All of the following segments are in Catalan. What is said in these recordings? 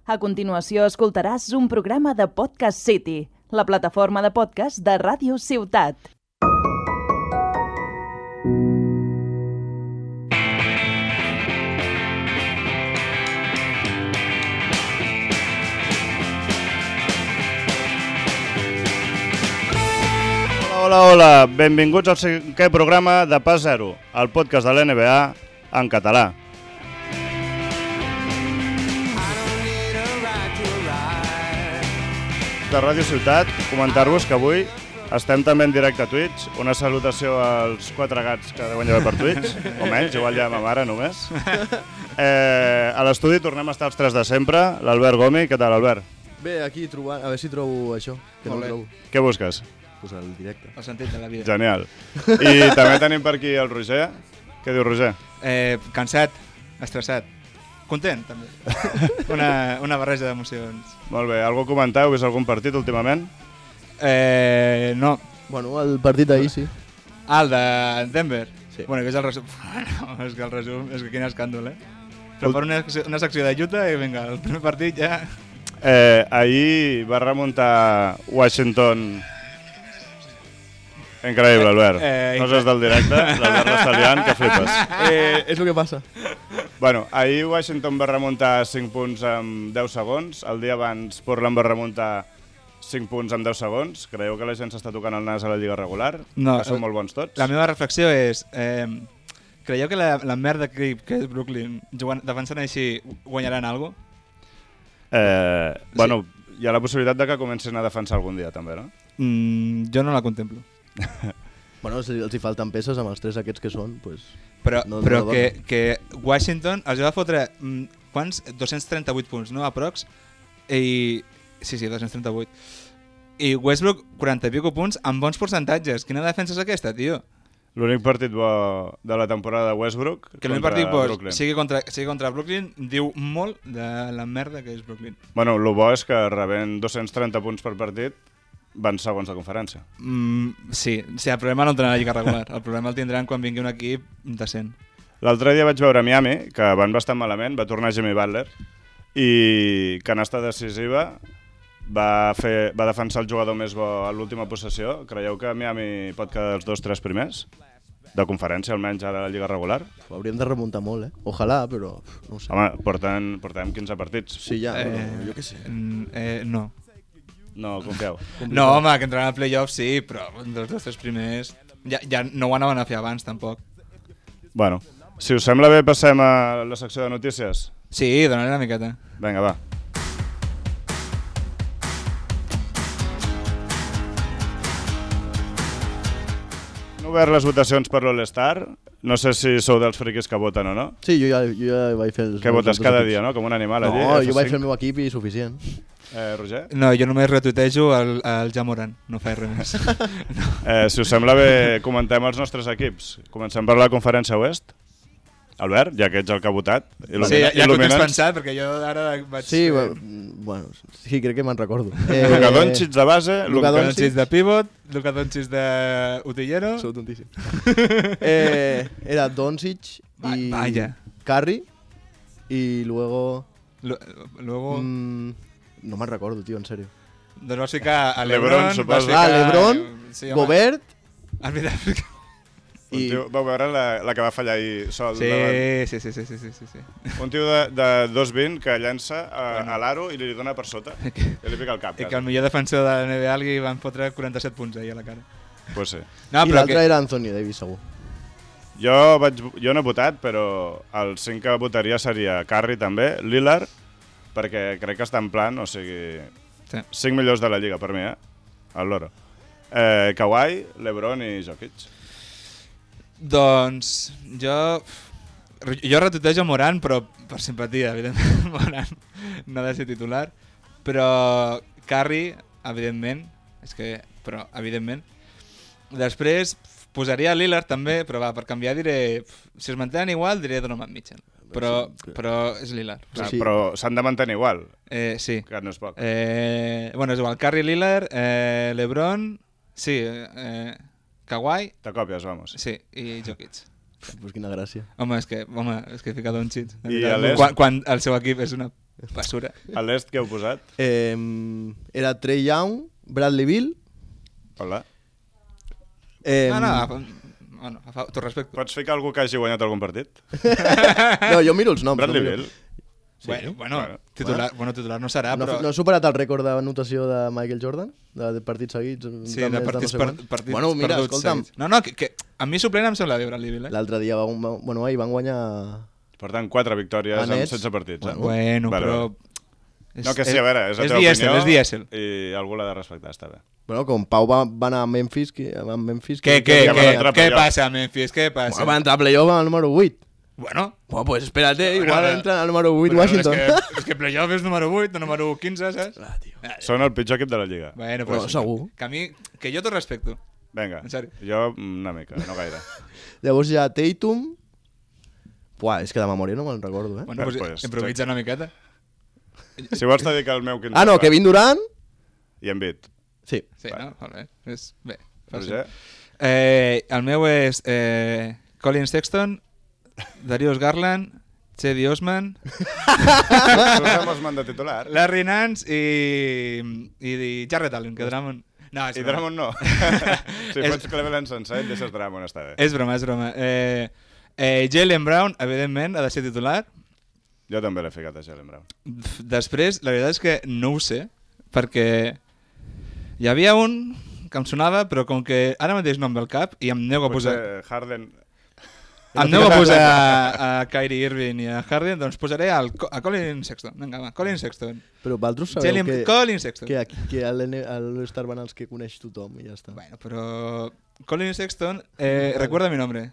A continuació escoltaràs un programa de Podcast City, la plataforma de podcast de Ràdio Ciutat. Hola, benvinguts al cinquè programa de Pas Zero, el podcast de l'NBA en català. De Ràdio Ciutat, comentar-vos que avui estem també en directe a Twitch. Una salutació als 4 gats que deuen haver per Twitch, o menys, igual ja ma mare només. A l'estudi tornem a estar els 3 de sempre, l'Albert Gomi. Què tal, Albert? Bé, aquí trobant, a veure si trobo això, que no ho trobo. Què busques? Pues el directe. El sentit de la vida. Genial. I també tenim per aquí el Roger. Què diu, Roger? Cansat, estressat, content també. Una barreja d'emocions. Molt bé, algú a comentar? Heu vist algun partit últimament? No. Bueno, el partit d'ahir sí. El de Denver? Sí. Bueno, que és el resum. Bueno, és que el resum, és que quin escàndol, Però per una secció de Utah i vinga, el primer partit ja... Ahir va remuntar Washington... Increïble, Albert. Coses del directe, l'Albert l'està liant, que flipes. És el que passa. Bueno, ahir Washington va remuntar 5 punts en 10 segons. El dia abans Portland va remuntar 5 punts en 10 segons. Creieu que la gent s'està tocant el nas a la lliga regular? No, que són molt bons tots? La meva reflexió és... creieu que la merda que és Brooklyn, defensant així, guanyaran alguna cosa? Bueno, hi ha la possibilitat de que comencin a defensar algun dia, també, no? Jo no la contemplo. Bueno, si els hi falten peces amb els 3 aquests que són, pues... Però no que Washington els va fotre, quants? 238 punts, no? Aprox. I... Sí, 238. I Westbrook, 40 i pico punts amb bons percentatges. Quina defensa és aquesta, tio? L'únic partit bo de la temporada de Westbrook que l'únic partit bo sigui contra Brooklyn diu molt de la merda que és Brooklyn. Bueno, el bo és que rebent 230 punts per partit van segons de conferència. Sí, el problema no el tindran a la lliga regular. El problema el tindran quan vingui un equip decent. L'altre dia vaig veure Miami, que van bastant malament, va tornar Jimmy Butler, i canasta decisiva va defensar el jugador més bo a l'última possessió. Creieu que Miami pot quedar els 2-3 primers? De conferència, almenys ara a la lliga regular? Hauríem de remuntar molt, Ojalà, però no ho sé. Home, portem 15 partits. Sí, ja, jo què sé. No. No, confieu. No, home, que entraran al playoff sí, però dels 2-3 primers ja no ho anaven a fer abans, tampoc. Bueno, si us sembla bé, passem a la secció de notícies. Sí, donaré una miqueta. Vinga, va. Han obert les votacions per l'All-Star. No sé si sou dels friquis que voten o no. Sí, jo ja vaig fer els... Que votes cada dia, no? Com un animal allí. No, jo vaig fer el meu equip i suficient. Roger? No, jo només retuitejo el Jamoran, no faig res més. No. Si us sembla bé, comentem els nostres equips. Comencem per la conferència oest. Albert, ja que ets el que ha votat. Sí, ja que ho tens pensat, perquè jo ara vaig... Sí, bueno, sí, crec que me'n recordo. Luka Doncic de base, Luka Doncic de pivot, Luka Doncic d'utillero... Sou tontíssim. Era Doncic i Curry i luego... Luego... No me'n recordo, tio, en sèrio. Doncs vas ficar a LeBron, suposo. LeBron, Gobert... Un tio, vau veure la que va fallar ahir sol? Sí. Un tio de 2'20 que llença a l'aro i li dona per sota i li pica el cap. I que el millor defensor de la NBA li van fotre 47 punts ahir a la cara. Pues sí. No, i l'altre era Anthony Davis, segur. Jo no he votat, però el 5 que votaria seria Curry també, Lillard, perquè crec que està en plan, o sigui, 5 millors de la lliga per mi, al loro. Kawhi, LeBron i Jokic. Doncs jo retuitejo Morant, però per simpatia, evidentment. Morant no ha de ser titular, però Curry, evidentment, evidentment. Després posaria Lillard també, però per canviar diré, si es mantenen igual diré Donovan Mitchell, però és Lillard. Sí. Però s'han de mantenir igual, sí. Que no és poc. Bueno, és igual, Curry, Lillard, LeBron, sí, Kawhi... Te copies, vamos. Sí, i Jokic. Pues quina gràcia. Home, és que fica Doncic. I a l'est? Quan el seu equip és una Basura. A l'est què heu posat? Era Trey Young, Bradley Beal... Hola. Bueno, t'ho respecto. Pots ficar algú que hagi guanyat algun partit? No, jo miro els noms. Bradley no miro. Beal. Sí. Bueno, titular no serà, No, però... no ha superat el rècord d'anotació de Michael Jordan? De partits seguits? Sí, de partits perduts. Bueno, mira, perduts escolta'm. seguits. No, que a mi suplent em sembla bé Bradley Beal, L'altre dia ahir van guanyar... Per tant, 4 victòries en Nets. 16 partits. Bueno, Vale, però... vale. No, que sí, a veure, és la teva dièsel, opinió és dièsel. i algú l'ha de respectar, està bé. Bueno, com Pau va anar a Memphis... Què passa a Memphis? Què passa? Va entrar a playoff al número 8. Bueno, Pues espérate, igual entra al número 8 Washington. És que playoff és número 8 o número 15, saps? Són el pitjor equip de la Lliga. Bueno, Però pues, segur. Que jo t'ho respecto. Vinga, En sèrio. jo una mica, no gaire. Llavors hi ha Tatum... Buah, és que de memòria no me'n recordo, Bueno, pues, improvisa una miqueta. Si vols te dic el meu 15. Ah, no, Kevin Durant... I Embiid. Sí. Sí, no? Vale. Bé, Roger? el meu és Colin Sexton, Darius Garland, Cedi Osman, Posem Osman de titular. Larry Nance i Jarrett Allen, que Drummond... No, és I broma. Drummond no. Si fots Cleveland sencer, et deixes Drummond, està bé. És broma. Jaylen Brown, evidentment, ha de ser titular. Jo també l'he ficat a Jaylen Brown. Després, la veritat és que no ho sé, perquè hi havia un que em sonava, però com que ara mateix no em ve al cap i em nego a posar... Potser Harden... Em nego a posar a Kyrie Irving i a Harden, doncs posaré a Colin Sexton. Vinga, va, Colin Sexton. Però vosaltres sabeu que... Colin Sexton. Que a l'All-Star van els que coneix tothom i ja està. Bueno, però... Colin Sexton, recuerda mi nombre.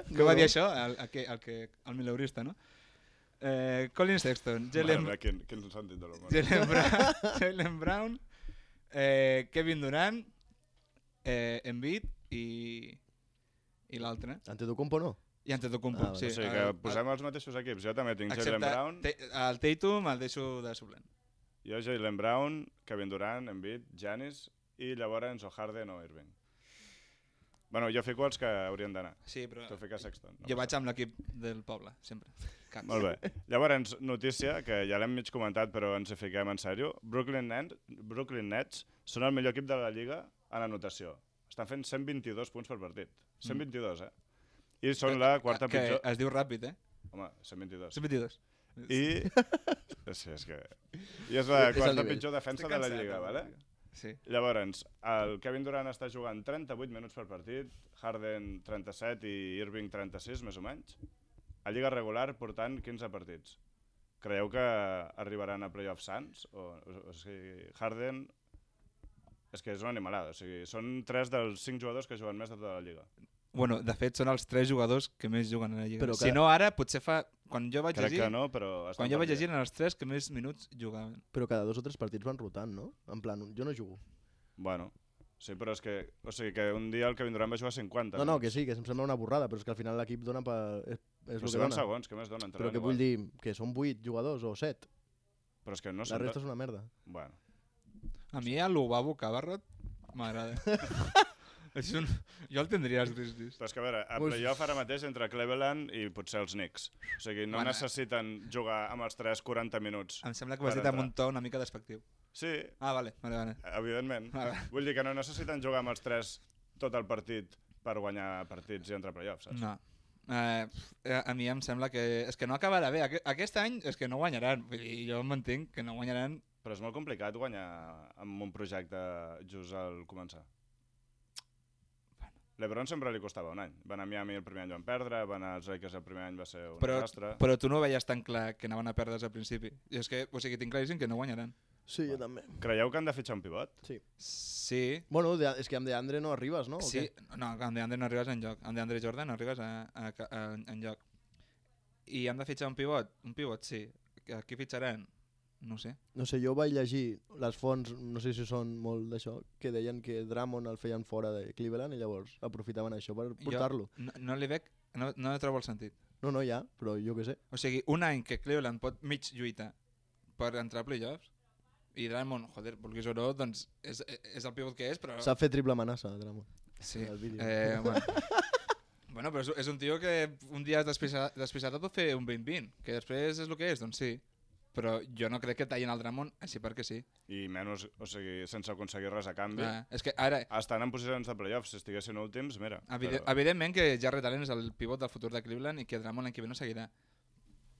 Què va dir això? El mileurista, no? Colin Sexton, Quin sentit de l'humor. Jaylen Brown, Kevin Durant, Embiid i l'altre. Antetokounmpo no? I Antetokounmpo, vale. sí. O sigui que posem els mateixos equips. Jo també tinc Jaylen Brown. El Tatum el deixo de suplent. Jo Jaylen Brown, Kevin Durant, Embiid, Giannis i llavors o Harden o Irving. Bueno, jo fico els que haurien d'anar. Sí, però Tu fiques Sexton. No jo vaig amb l'equip del poble, sempre. Molt bé. Llavors, notícia, que ja l'hem mig comentat, però ens hi fiquem en sèrio. Brooklyn Nets són el millor equip de la Lliga en anotació. Estan fent 122 punts per partit. 122, I són la quarta pitjor... Que es diu ràpid, Home, 122. 122. Sí, és que... I és la quarta pitjor defensa de la Lliga, vale? Sí. Llavors, el Kevin Durant està jugant 38 minuts per partit, Harden 37 i Irving 36, més o menys. A Lliga regular portant 15 partits. Creieu que arribaran a playoffs sans? O sigui, Harden... És que és una animalada. O sigui, són 3 dels 5 jugadors que juguen més de tota la Lliga. Bueno, de fet, són els 3 jugadors que més juguen a la Lliga. Però Si no, ara, potser fa... Quan jo vaig Crec llegir... que no, però... Quan jo vaig llegir eren els 3 que més minuts jugaven. Però cada 2 o 3 partits van rotant, no? En plan, jo no jugo. Bueno, sí, però és que... O sigui, que un dia el Kevin Durant va jugar 50. No, que sí, que em sembla una borrada, però és que al final l'equip dona per... És Però el que si van dona. segons, què més donen? Però què vull dir? Que són 8 jugadors o 7? Però és que no La són... resta és una merda. Bueno. A mi el Lubabo Cabarrot m'agrada. Jo el tindria als Grizzlies. Però és que a veure, a playoff ara mateix entre Cleveland i potser els Knicks. O sigui, no necessiten jugar amb els 3 40 minuts. Em sembla que ho has dit amb un to una mica despectiu. Sí, Vale. evidentment. Vull dir que no necessiten jugar amb els 3 tot el partit per guanyar partits i entrar a playoffs, saps? No. A mi em sembla que... És que no acabarà bé. Aquest any és que no guanyaran. Vull dir, jo m'entenc que no guanyaran. Però és molt complicat guanyar amb un projecte just al començar. LeBron sempre li costava un any. Va anar a Miami el primer any van perdre, va anar als Lakers el primer any va ser un desastre. Però tu no veies tan clar que anaven a perdre al principi. I és que, o sigui, tinc claríssim que no guanyaran. Sí, jo també. Creieu que han de fitxar un pivot? Sí. Sí. Bueno, és que amb DeAndre no arribes, no? Sí. No, amb DeAndre no arribes enlloc. Amb DeAndre Jordan no arribes enlloc. I han de fitxar un pivot? Un pivot, sí. A qui fitxaran? No sé. No sé, jo vaig llegir les fonts, no sé si són molt d'això, que deien que Drummond el feien fora de Cleveland i llavors aprofitaven això per portar-lo. No li veig, no trobo el sentit. No, ja, però jo què sé. O sigui, un any que Cleveland pot mig lluitar per entrar a playoffs i Drummond, joder, vulguis o no, doncs és el pivot que és, però... S'ha fet triple amenaça, Drummond. Sí. Bueno, però és un tio que un dia despisat pot fer un 20-20, que després és el que és, doncs sí. però jo no crec que tallin el Drummond així perquè sí. I menys, o sigui, sense aconseguir res a canvi. És que ara... Estan en posicions de playoffs, si estiguessin últims, mira. Evidentment que Jarrett Allen és el pivot del futur de Cleveland i que Drummond l'any que ve no seguirà.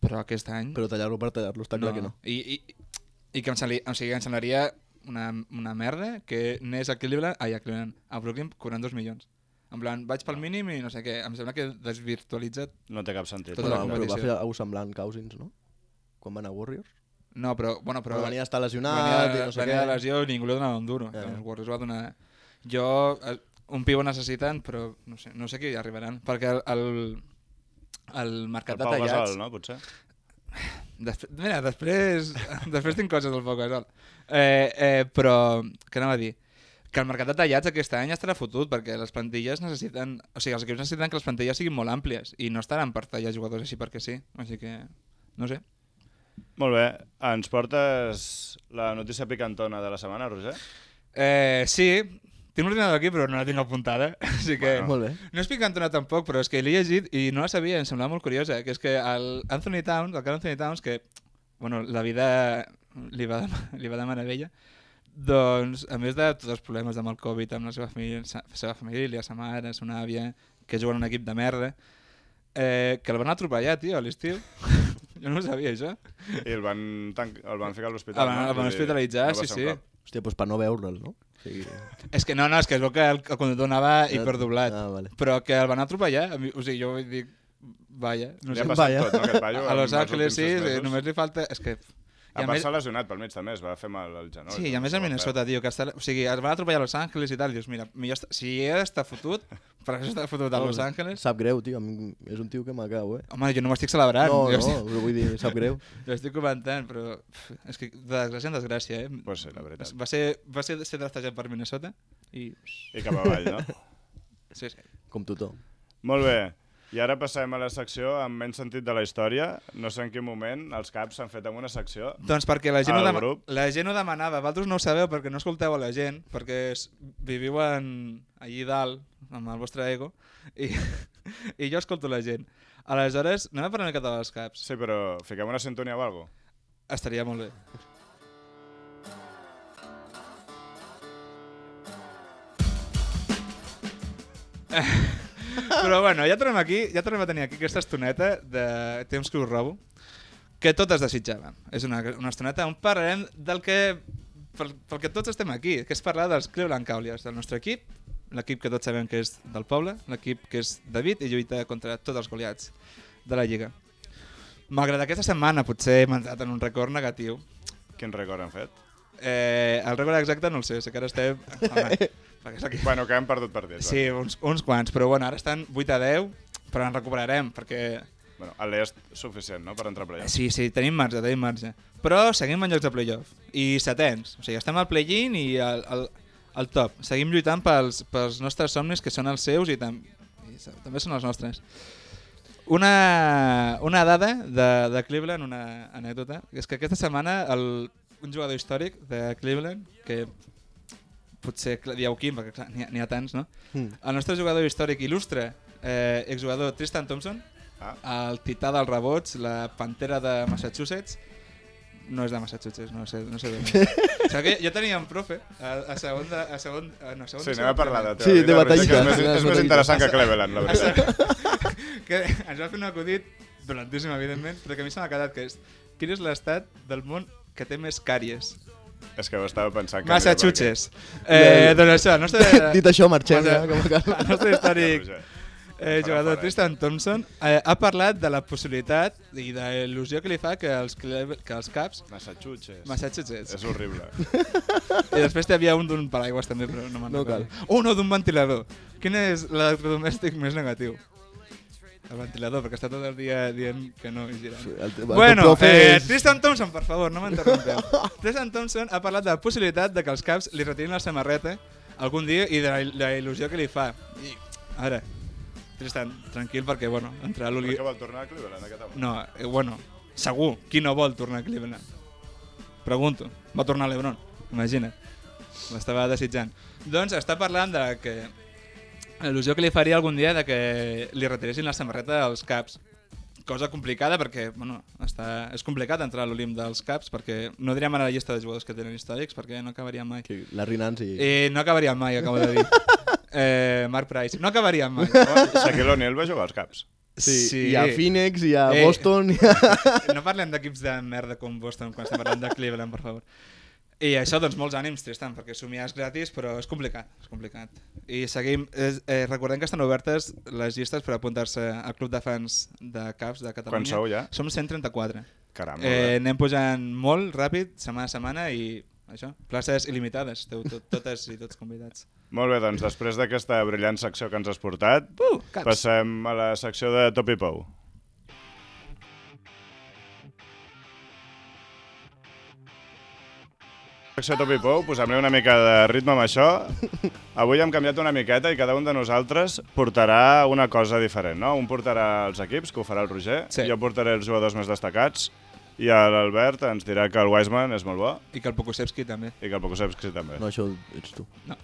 Però aquest any... Però tallar-lo per tallar-lo, està clar que no. I que em semblaria una merda que anés a Cleveland, a Brooklyn cobrant 2 milions. En plan, vaig pel mínim i no sé què. Em sembla que desvirtualitza... No té cap sentit. Tota la Però competició. va fer alguna semblant Cousins, no? Quan va anar a Warriors. No, però venia a estar lesionat i no sé què. Venia de lesió i ningú li donava un duro. Ja. Els Warriors va donar... Un pivot necessiten, però no sé qui hi arribaran. Perquè el mercat de tallats... El Pau Gasol, no? Potser? Mira, després tinc coses del Pau Gasol. Però, què anava a dir? Que el mercat de tallats aquest any estarà fotut perquè les plantilles necessiten... O sigui, els equips necessiten que les plantilles siguin molt àmplies i no estaran per tallar jugadors així perquè sí. Així que, no sé. Molt bé. Ens portes la notícia picantona de la setmana, Roger? Sí, tinc l'ordinador aquí però no la tinc apuntada. Així que... Molt bé. No és picantona tampoc, però és que l'he llegit i no la sabia, em semblava molt curiosa. Que és que el Carl Anthony Towns, que bueno, la vida li va de meravella, doncs, a més de tots els problemes amb el Covid, amb la seva família, sa mare, sa àvia, que juguen en un equip de merda, que el van atropellar, tio, a l'estiu. Jo no ho sabia, això. I el van ficar a l'hospital, no? El van hospitalitzar, sí. Hòstia, doncs per no veure'l, no? Sí. És que no, és que es veu que el conductor anava hiperdoblat, vale. però que el van atropellar. O sigui, jo vull dir, vaja, no Li sé. ha passat tot, no, aquest paio? A Los Angeles sí, només li falta... És que... A part s'ha lesionat pel mig també, es va fer mal al genoll. Sí, i a més a Minnesota, tio, que o sigui, es van atropellar a Los Angeles i tal, dius, mira, si he d'estar fotut, per això està fotut a Los Angeles... Sap greu, tio, és un tio que m'acau, Home, jo no m'estic celebrant. No, però vull dir, sap greu. Jo estic comentant, però és que de desgràcia en desgràcia, Pues sí, la veritat. Va ser draftejat per Minnesota i... I cap avall, no? Sí. Com tothom. Molt bé. I ara passem a la secció amb menys sentit de la història. No sé en quin moment els caps s'han fet amb una secció. Doncs perquè la gent ho ho demanava. Vosaltres no ho sabeu perquè no escolteu a la gent, perquè viviu allí dalt, amb el vostre ego, i jo escolto la gent. Aleshores, anem a parlar una miqueta dels caps. Sí, però fiquem una sintonia o alguna cosa? Estaria molt bé. Però bueno, ja tornem a tenir aquí aquesta estoneta de temps que us robo, que totes desitjàvem. És una estoneta on parlarem del que pel que tots estem aquí, que és parlar dels Cleveland Cavaliers, del nostre equip, l'equip que tots sabem que és del poble, l'equip que és David i lluita contra tots els Goliats de la Lliga. Malgrat aquesta setmana potser hem entrat en un record negatiu. Quin record han fet? El record exacte no el sé que ara estem... Bueno, que hem perdut partits. Sí, uns quants, però bueno, ara estan 8-10, però en recuperarem, perquè... Bueno, a l'est suficient, no?, per entrar a playoff. Sí, tenim marge. Però seguim en llocs de playoff, i setens. O sigui, estem al play-in i al top. Seguim lluitant pels nostres somnis, que són els seus i també són els nostres. Una dada de Cleveland, una anècdota, és que aquesta setmana un jugador històric de Cleveland, que potser dieu quin, perquè clar, n'hi ha tants, no? El nostre jugador històric il·lustre, exjugador Tristan Thompson, el tità dels rebots, la pantera de Massachusetts, no és de Massachusetts, no sé d'on és. O sigui, jo tenia un profe a segon... Sí, anem a parlar de Sí, de batallita. És més interessant que Cleveland, la veritat. Que ens va fer un acudit dolentíssim, evidentment, però que a mi se m'ha quedat, que és quin és l'estat del món que té més càries? És que ho estava pensant. Massachusetts. Doncs això, el nostre... Dit això, marxem ja. El nostre històric jugador Tristan Thompson ha parlat de la possibilitat i de l'il·lusió que li fa que els Caps... Massachusetts. És horrible. I després hi havia un d'un paraigües també, però no me'n recordo. No, d'un ventilador. Quin és l'electrodomèstic més negatiu? El ventilador, perquè està tot el dia dient que no hi girant. Bueno, Tristan Thompson, per favor, no m'interrompeu. Tristan Thompson ha parlat de la possibilitat de que els Caps li retirin la samarreta algun dia i de la il·lusió que li fa. I ara, Tristan, tranquil, perquè, bueno, entrarà l'Oli... Per què vol tornar a Cleveland, aquest home? No, bueno, segur, qui no vol tornar a Cleveland? Pregunto, va tornar a l'Ebron, imagina't. L'estava desitjant. Doncs està parlant de que l'il·lusió que li faria algun dia de que li retiressin la samarreta als Caps. cosa complicada perquè és complicat entrar a l'Olimp dels Caps perquè no direm ara la llista de jugadors que tenen històrics perquè no acabaríem mai. Sí, Larry Nance No acabaríem mai, acabo de dir. Mark Price. No acabaríem mai. Shaquille O'Neal va jugar als Caps. Sí. Hi ha Phoenix, hi ha Boston... No parlem d'equips de merda com Boston quan estem parlant de Cleveland, per favor. I això, doncs, molts ànims, Tristan, perquè somiar és gratis, però és complicat. I seguim... recordem que estan obertes les llistes per apuntar-se al Club de Fans de Caps de Catalunya. Quan sou ja? Som 134. Caram, anem pujant molt ràpid, setmana a setmana, i això, places il·limitades. Esteu totes i tots convidats. Molt bé, doncs, després d'aquesta brillant secció que ens has portat, passem a la secció de Top i Pou. Secció Top i Pou, posem-li una mica de ritme amb això. Avui hem canviat una miqueta i cada un de nosaltres portarà una cosa diferent, no? Un portarà els equips, que ho farà el Roger, jo portaré els jugadors més destacats, i l'Albert ens dirà que el Wiseman és molt bo. I que el Pokusevski també. No, això ets tu. No.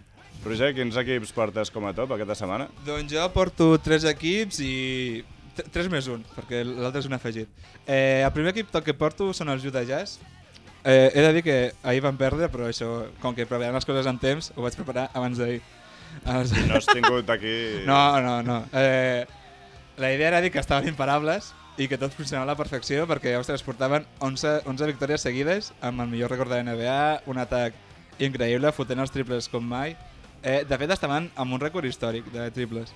Roger, quins equips portes com a top aquesta setmana? Doncs jo porto 3 equips i... 3 més 1, perquè l'altre és un afegit. El primer equip que porto són els Utah Jazz. He de dir que ahir van perdre, però això, com que preparem les coses en temps, ho vaig preparar abans d'ahir. No has tingut aquí... No. La idea era dir que estaven imparables i que tot funcionava a la perfecció perquè, ostres, portaven 11 victòries seguides amb el millor record de la NBA, un atac increïble, fotent els triples com mai. De fet, estaven amb un rècord històric de triples.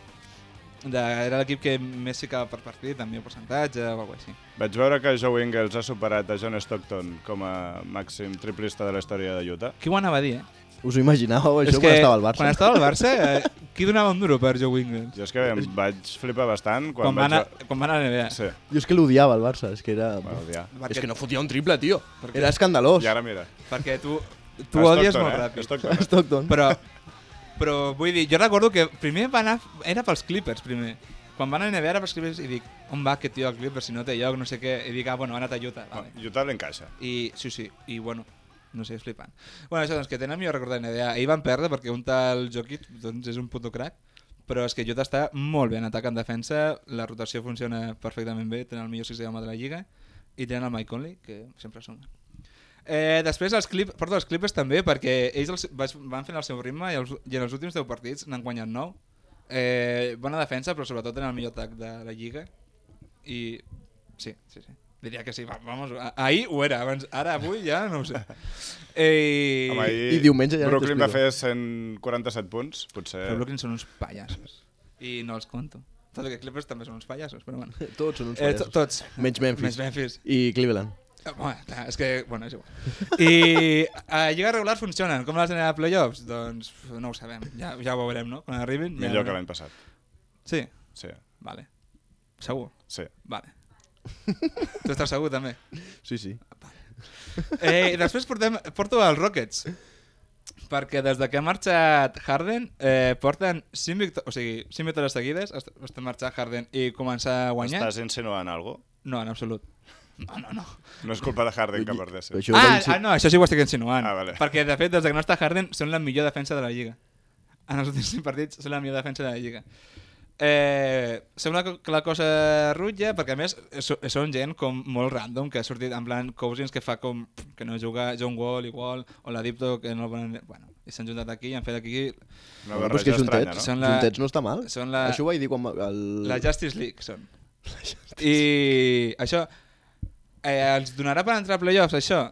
Era l'equip que més ficava per partit, amb millor percentatge o alguna cosa així. Vaig veure que Joe Ingles ha superat a John Stockton com a màxim triplista de la història de Utah. Qui ho anava a dir, Us ho imaginàveu, això, quan estava al Barça? Quan estava al Barça, qui donava un duro per Joe Ingles? Jo és que em vaig flipar bastant quan va anar a la NBA. Sí. Jo és que l'odiava, el Barça. És que era... Perquè... És que no fotia un triple, tio. Era escandalós. I ara mira. Perquè tu odies molt ràpid. Stockton. Però vull dir, jo recordo que primer va anar... Era pels Clippers, primer. Quan van a la NBA era pels Clippers i dic, on va aquest tio al Clippers si no té lloc, no sé què. I dic, bueno, ha anat a Utah. Vale. Utah l'encaixa. Sí, i bueno... No sé, és flipant. Bueno, això, doncs, que tenen millor record de NBA. Ahir van perdre perquè un tal Jokic doncs, és un puto crack, però és que Utah està molt bé en atac, en defensa, la rotació funciona perfectament bé, tenen el millor 6 home de la Lliga i tenen el Mike Conley, que sempre sona. Després porto els Clippers també perquè ells van fent el seu ritme i en els últims 10 partits n'han guanyat 9. Bona defensa, però sobretot tenen el millor atac de la Lliga i sí. Diria que sí, vamos, ahir ho era, ara avui ja no ho sé. Home, I diumenge ja Brooklyn va fer 147 punts, potser... Però Brooklyn són uns pallassos, i no els conto. Tot i que Clippers també són uns pallassos, però bueno. Tots són uns pallassos. Tots. Menys Memphis. I Cleveland. Bueno, clar, és que, bueno, és igual. I a Lliga regular funcionen, com les NBA Playoffs? Doncs no ho sabem, ja ho veurem, no? Quan arribin... Millor que l'any passat. Sí? Sí. Vale. Segur? Sí. Vale. Tu estàs segur també? Sí. Després porto els Rockets perquè des que ha marxat Harden porten 5 victòries seguides de marxar Harden i començar a guanyar. Estàs insinuant alguna cosa? No, en absolut. No. No és culpa de Harden que perdés. No, això sí ho estic insinuant. Vale. Perquè de fet des que no està Harden són la millor defensa de la Lliga. En els últims 5 partits són la millor defensa de la Lliga. Sembla que la cosa rutlla perquè a més són gent com molt random que ha sortit en plan Cousins que fa com que no juga, John Wall igual o la Dipto que no el volen... Bueno, i s'han juntat aquí i han fet aquí una barreja estranya, no? Juntets no està mal. Això ho vaig dir quan... La Justice League són. I això ens donarà per entrar a playoffs això?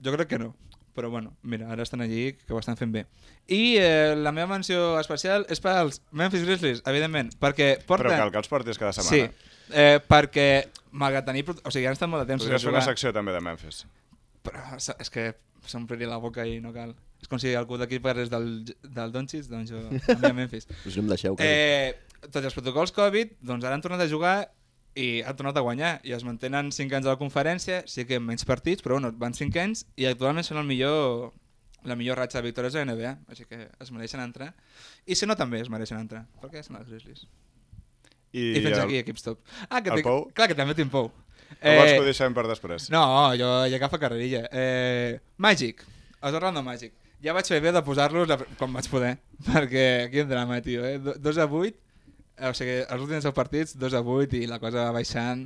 Jo crec que no. Però bueno, mira, ara estan allí que ho estan fent bé. I la meva menció especial és per als Memphis Grizzlies, evidentment, perquè porten... Però cal que els portis cada setmana. Sí, perquè malgrat tenir... O sigui, han estat molt de temps... Podries fer una secció també de Memphis. Però és que s'ompliria la boca i no cal. És com si algú d'aquí parlés del Doncic, doncs jo aniria a Memphis. Us no em deixeu, tots els protocols Covid, doncs ara han tornat a jugar i han tornat a guanyar i es mantenen 5 anys a la conferència, sí que menys partits, però bueno, van 5 anys i actualment són la millor ratxa de victòries de la NBA, així que es mereixen entrar. I si no també es mereixen entrar, perquè són els Grizzlies. I fins aquí equips top. El Pou? Clar que també tinc Pou. O vols que ho deixem per després? No, jo ja agafa carrerilla. Magic, els Orlando Magic. Ja vaig fer bé de posar-los com vaig poder, perquè quin drama, tio. 2-8, o sigui, els últims 10 partits, 2-8 i la cosa va baixant.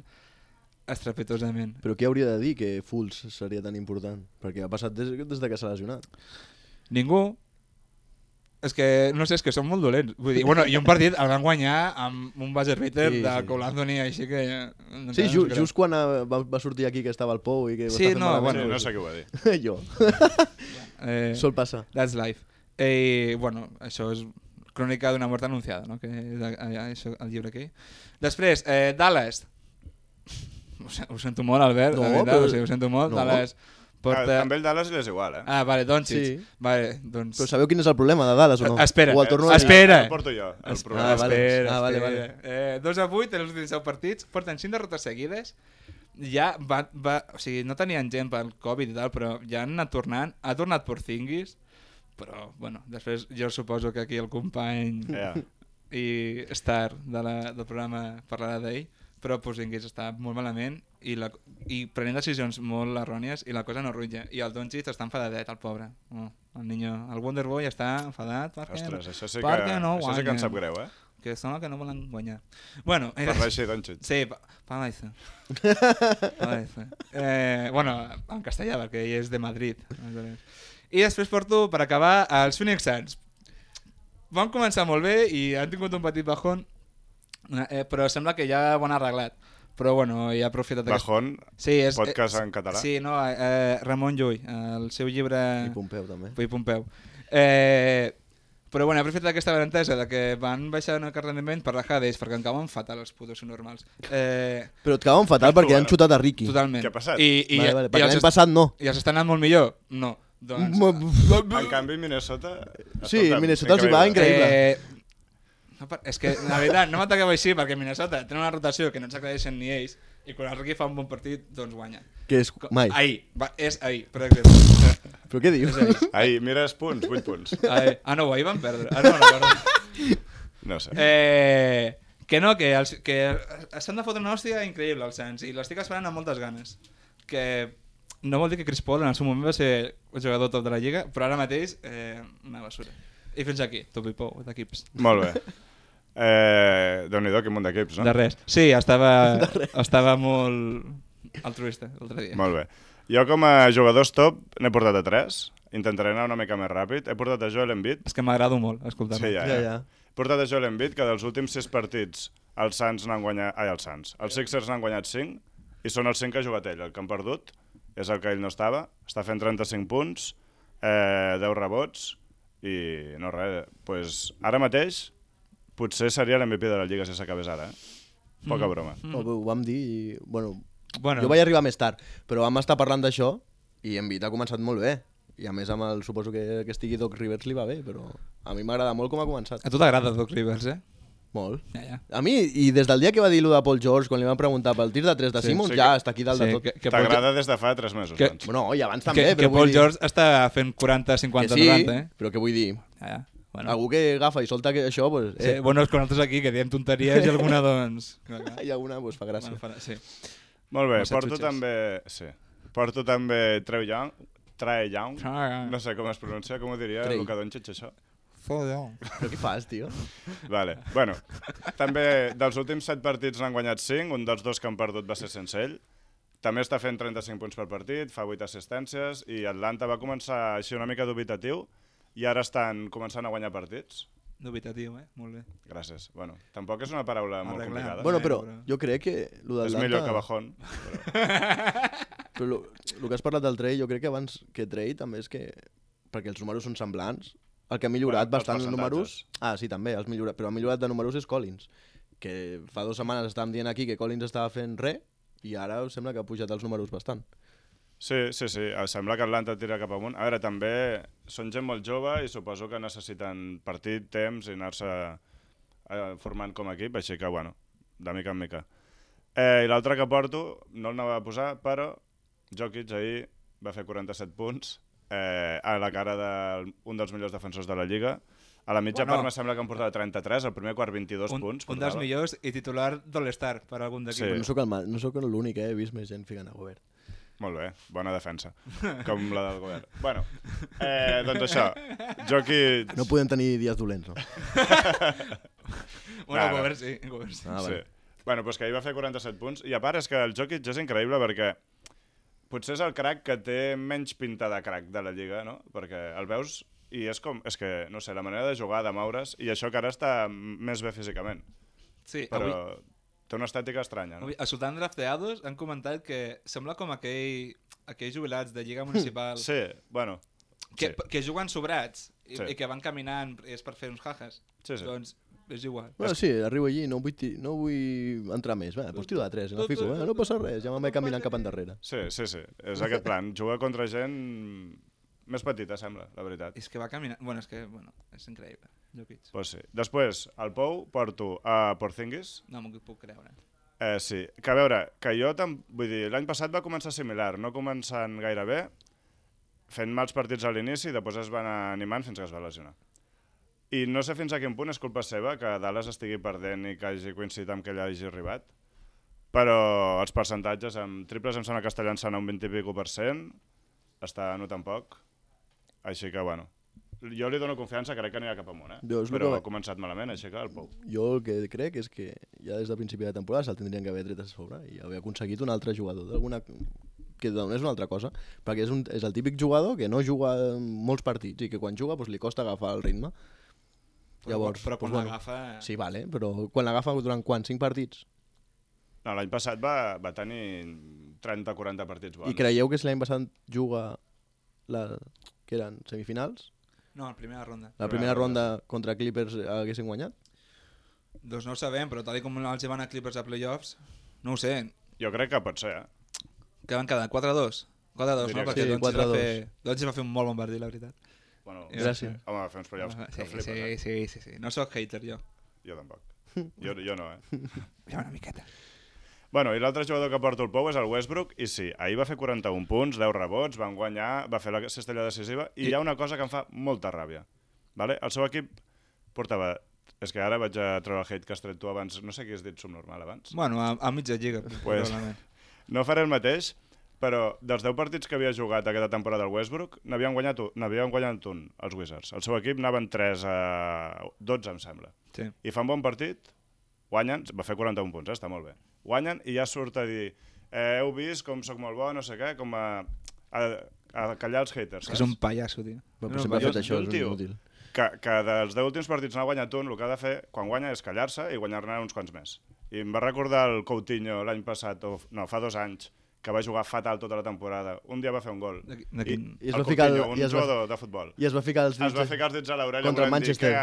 estrepitosament. Però què hauria de dir que Fultz seria tan important? Perquè ha passat des que s'ha lesionat. Ningú. És que, no sé, és que són molt dolents. Vull dir, bueno, i un partit el van guanyar amb un buzzer beater de Cole Anthony, així que... Sí, just quan va sortir aquí que estava el Pou i que... Sí, no, bueno, no sé què ho va dir. Jo. Sol passar. That's life. Bueno, això és crònica d'una mort anunciada, no? Que és això, el llibre aquí. Després, Dallas. Ho sento molt, Albert. No, veritat, però... o sigui, ho sento molt. No. Dallas porta... Amb ell Dallas és igual, Ah, vale, Doncic. Sí. Vale, doncs... Però sabeu quin és el problema de Dallas o no? Espera, o el torno a dir? espera. El porto jo, el problema. Espera. Vale. 2-8 en els últims 10 partits, porten 5 derrotes seguides. Ja o sigui, no tenien gent pel Covid i tal, però ja han anat tornant. Ha tornat Porzingis, però, bueno, després jo suposo que aquí el company i Star del programa parlarà d'ell, però Porzingis està molt malament i prenent decisions molt errònies i la cosa no rutlla. I el Doncic està enfadadet, el pobre. El Wonderboy està enfadat perquè, ostres, això sí que em sap greu, que són els que no volen guanyar. Bueno, parla així, Doncic. Sí, parla això. Bueno, en castellà, perquè ell és de Madrid. I després porto, per acabar, els Phoenix Suns. Van començar molt bé i han tingut un petit bajón, però sembla que ja ho han arreglat. Però bueno, ja ha aprofitat... Bajón, podcast en català? Sí, no, Ramon Llull, el seu llibre... I Pompeu, també. I Pompeu. Però bueno, he aprofitat aquesta benentesa de que van baixar una rendiment per rajar d'ells, perquè em cauen fatal els putos normals. Però et cauen fatal perquè han xutat a Ricky. Totalment. Què ha passat? Vale, perquè l'any passat no. I els està anant molt millor? No. Doncs... En canvi, Minnesota... Sí, Minnesota els hi va increïble. És que, la veritat, no m'ataqueu així perquè Minnesota té una rotació que no ens aclareixen ni ells i quan el Ricky fa un bon partit, doncs guanya. Que és mai. Ahir, és ahir, per exemple. Però què dius? Ahir, mires punts, 8 punts. No, ahir van perdre. No recordo. No sé. Que no, que s'han de fotre una hòstia increïble als Suns i l'estic esperant amb moltes ganes. Que no vol dir que Chris Paul en el seu moment va ser el jugador top de la lliga, però ara mateix una basura. I fins aquí, top i pou d'equips. Molt bé. Déu-n'hi-do, quin munt d'equips, no? De res. Sí, estava molt altruista l'altre dia. Molt bé. Jo com a jugadors top n'he portat a 3. Intentaré anar una mica més ràpid. He portat a Joel Embiid. És que m'agrado molt escoltar-lo. Sí, ja. He portat a Joel Embiid, que dels últims 6 partits els Suns n'han guanyat... Els Sixers n'han guanyat 5 i són els 5 que ha jugat ell. El que han perdut és el que ell no estava. Està fent 35 punts, 10 rebots i no res. Pues, ara mateix potser seria l'MVP de la Lliga si s'acabés ara. Poca broma. Ho vam dir i... Bueno, Bueno, jo vaig arribar més tard, però vam estar parlant d'això i Embiid ha començat molt bé. I a més, suposo que estigui Doc Rivers li va bé, però a mi m'agrada molt com ha començat. a tu t'agrada Doc Rivers, Molt. Ja. A mi, i des del dia que va dir-lo de Paul George, quan li van preguntar pel tir de 3 de Simmons, ja està aquí dalt de tot. T'agrada des de fa 3 mesos, doncs. Bueno, i abans també, Que però Paul vull dir... George està fent 40, 50, que sí, 90, però què vull dir? Ja. Bueno. Algú que agafa i solta això, pues... Sí, bueno, és que nosaltres aquí, que diem tonteries i alguna, doncs... I alguna, pues, fa gràcia. Bueno, sí. Molt bé, No porto també Trae Young. No sé com es pronuncia, com ho diria Trae. Luka Doncic, això. Però què fas, tio? Vale. Bueno, també dels últims 7 partits n'han guanyat 5, un dels 2 que han perdut va ser sense ell. També està fent 35 punts per partit, fa 8 assistències, i Atlanta va començar així una mica dubitatiu, i ara estan començant a guanyar partits. Dubitatiu, molt bé. Gràcies. Bueno, tampoc és una paraula molt complicada. Bueno, però jo crec que... És millor que bajón. Però el que has parlat del Trey, jo crec que abans que Trey també és que... Perquè els números són semblants. El que ha millorat bastant els números... Ah, sí, també, però ha millorat de números és Collins. Que fa 2 setmanes estàvem dient aquí que Collins estava fent res i ara sembla que ha pujat els números bastant. Sí. Sembla que Atlanta tira cap amunt. A veure, també són gent molt jove i suposo que necessiten partit, temps i anar-se formant com a equip, així que, bueno, de mica en mica. I l'altre que porto, no el anava a posar, però Jokic ahir va fer 47 punts a la cara d'un dels millors defensors de la Lliga. A la mitja part me sembla que em portava 33, al primer quart 22 punts. Un dels millors i titular d'All-Star per algun d'equip. Sí. No sóc l'únic, he vist més gent ficant a Gobert. Molt bé, bona defensa, com la del govern. Bueno, doncs això, Jokic... No podem tenir dies dolents, no? Bueno, Gobert sí. Sí. Bueno, doncs que ahir va fer 47 punts. I a part és que el Jokic és increïble perquè potser és el crack que té menys pinta de crack de la Lliga, no? Perquè el veus i és que, no sé, la manera de jugar, de moure's, i això que ara està més bé físicament. Sí, però avui, té una estètica estranya, no? avui a Sultan Drafteados han comentat que sembla com aquells jubilats de Lliga Municipal Sí, bueno... que juguen sobrats Sí. i que van caminant és per fer uns jajas. Sí, sí. Doncs és igual. Bueno, sí, arribo allí, no vull entrar més. Va, doncs tiro de 3, no fico, no passa res, ja me'n vaig caminant cap endarrere. Sí. És aquest plan. Jugar contra gent més petita, sembla, la veritat. És que va caminant... Bueno, és increïble. Jokic. Pues sí. Després, al Pou, porto a Porzingis. No m'ho puc creure. Sí, que a veure, que jo vull dir, l'any passat va començar similar, no començant gaire bé, fent mals partits a l'inici i després es van animant fins que es va lesionar. I no sé fins a quin punt és culpa seva que Dallas estigui perdent i que hagi coincidit amb que ell hagi arribat, però els percentatges amb triples em sembla que està llançant a un 20 i pico %, està notant poc, així que bueno, jo li dono confiança, crec que anirà cap amunt, però ha començat malament, així que el Pou. Jo el que crec és que ja des del principi de temporada se'l tindrien que haver tret a sobre i haver aconseguit un altre jugador que és una altra cosa, perquè és el típic jugador que no juga molts partits i que quan juga doncs, li costa agafar el ritme. Llavors, però quan l'agafa... Sí, vale, però quan l'agafa durant quants? 5 partits? No, l'any passat va tenir 30-40 partits bons. I creieu que si l'any passat juga que eren semifinals? No, la primera ronda. La primera ronda contra Clippers haguessin guanyat? Doncs no ho sabem, però tal com els van a Clippers a playoffs, no ho sé. Jo crec que pot ser, Que van quedar 4-2. 4-2, no? Perquè sí, Doncic va fer un molt bon partit, la veritat. Bueno, gràcies. Home, va fer uns playoffs que flipes, Sí. No sóc hater, jo. Jo tampoc. Jo no, Ja una miqueta. Bueno, i l'altre jugador que porta el Pou és el Westbrook, i sí, ahir va fer 41 punts, 10 rebots, van guanyar, va fer la cistella decisiva, i hi ha una cosa que em fa molta ràbia. Vale? El seu equip portava... És que ara vaig a treure el hate que has tret tu abans, no sé qui has dit subnormal abans. Bueno, a mitja lliga, probablement. No faré el mateix, però dels 10 partits que havia jugat aquesta temporada el Westbrook, n'havien guanyat un, els Wizards. El seu equip anaven 3-12, em sembla. Sí. I fan bon partit, guanyen, va fer 41 punts, està molt bé. Guanyen i ja surt a dir heu vist com sóc molt bo, no sé què, com a callar els haters. És un pallasso, tio. Però sempre ha fet això, és inútil. Que dels 10 últims partits n'ha guanyat un, el que ha de fer quan guanya és callar-se i guanyar-ne uns quants més. I em va recordar el Coutinho l'any passat, fa 2 anys, que va jugar fatal tota la temporada. Un dia va fer un gol. I es el va ficar Coutinho, un jugador de futbol. I es va ficar els dits a l'orella contra el Manchester.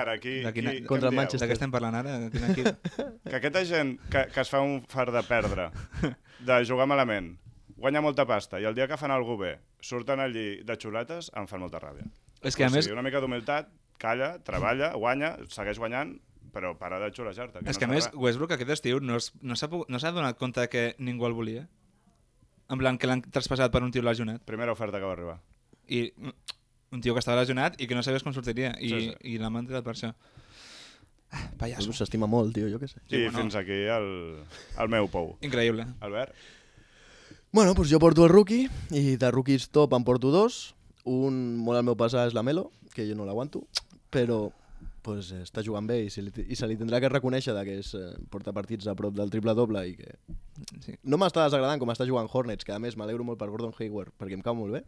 Contra el Manchester. De què estem parlant ara? Que aquesta gent que es fa un far de perdre, de jugar malament, guanya molta pasta, i el dia que fan alguna bé, surten allí de xuletes, em fan molta ràbia. És que a més... Una mica d'humilitat, calla, treballa, guanya, segueix guanyant, però para de xulejar-te. És que a més, Westbrook aquest estiu no s'ha donat compte que ningú el volia. En plan, que l'han traspassat per un tio lesionat. Primera oferta que va arribar. I un tio que estava lesionat i que no sabies com sortiria. Sí. I l'han mantingut per això. Pallasso. S'estima molt, tio, jo què sé. I fins aquí el meu Pou. Increïble. Albert? Bueno, doncs jo porto el rookie, i de rookies top em porto 2. Un molt al meu passar és la Melo, que jo no l'aguanto, però pues, està jugant bé i se li tindrà que reconèixer que porta partits a prop del triple-doble i que... Sí. No m'està desagradant com està jugant Hornets, que a més m'alegro molt per Gordon Hayward, perquè em cau molt bé.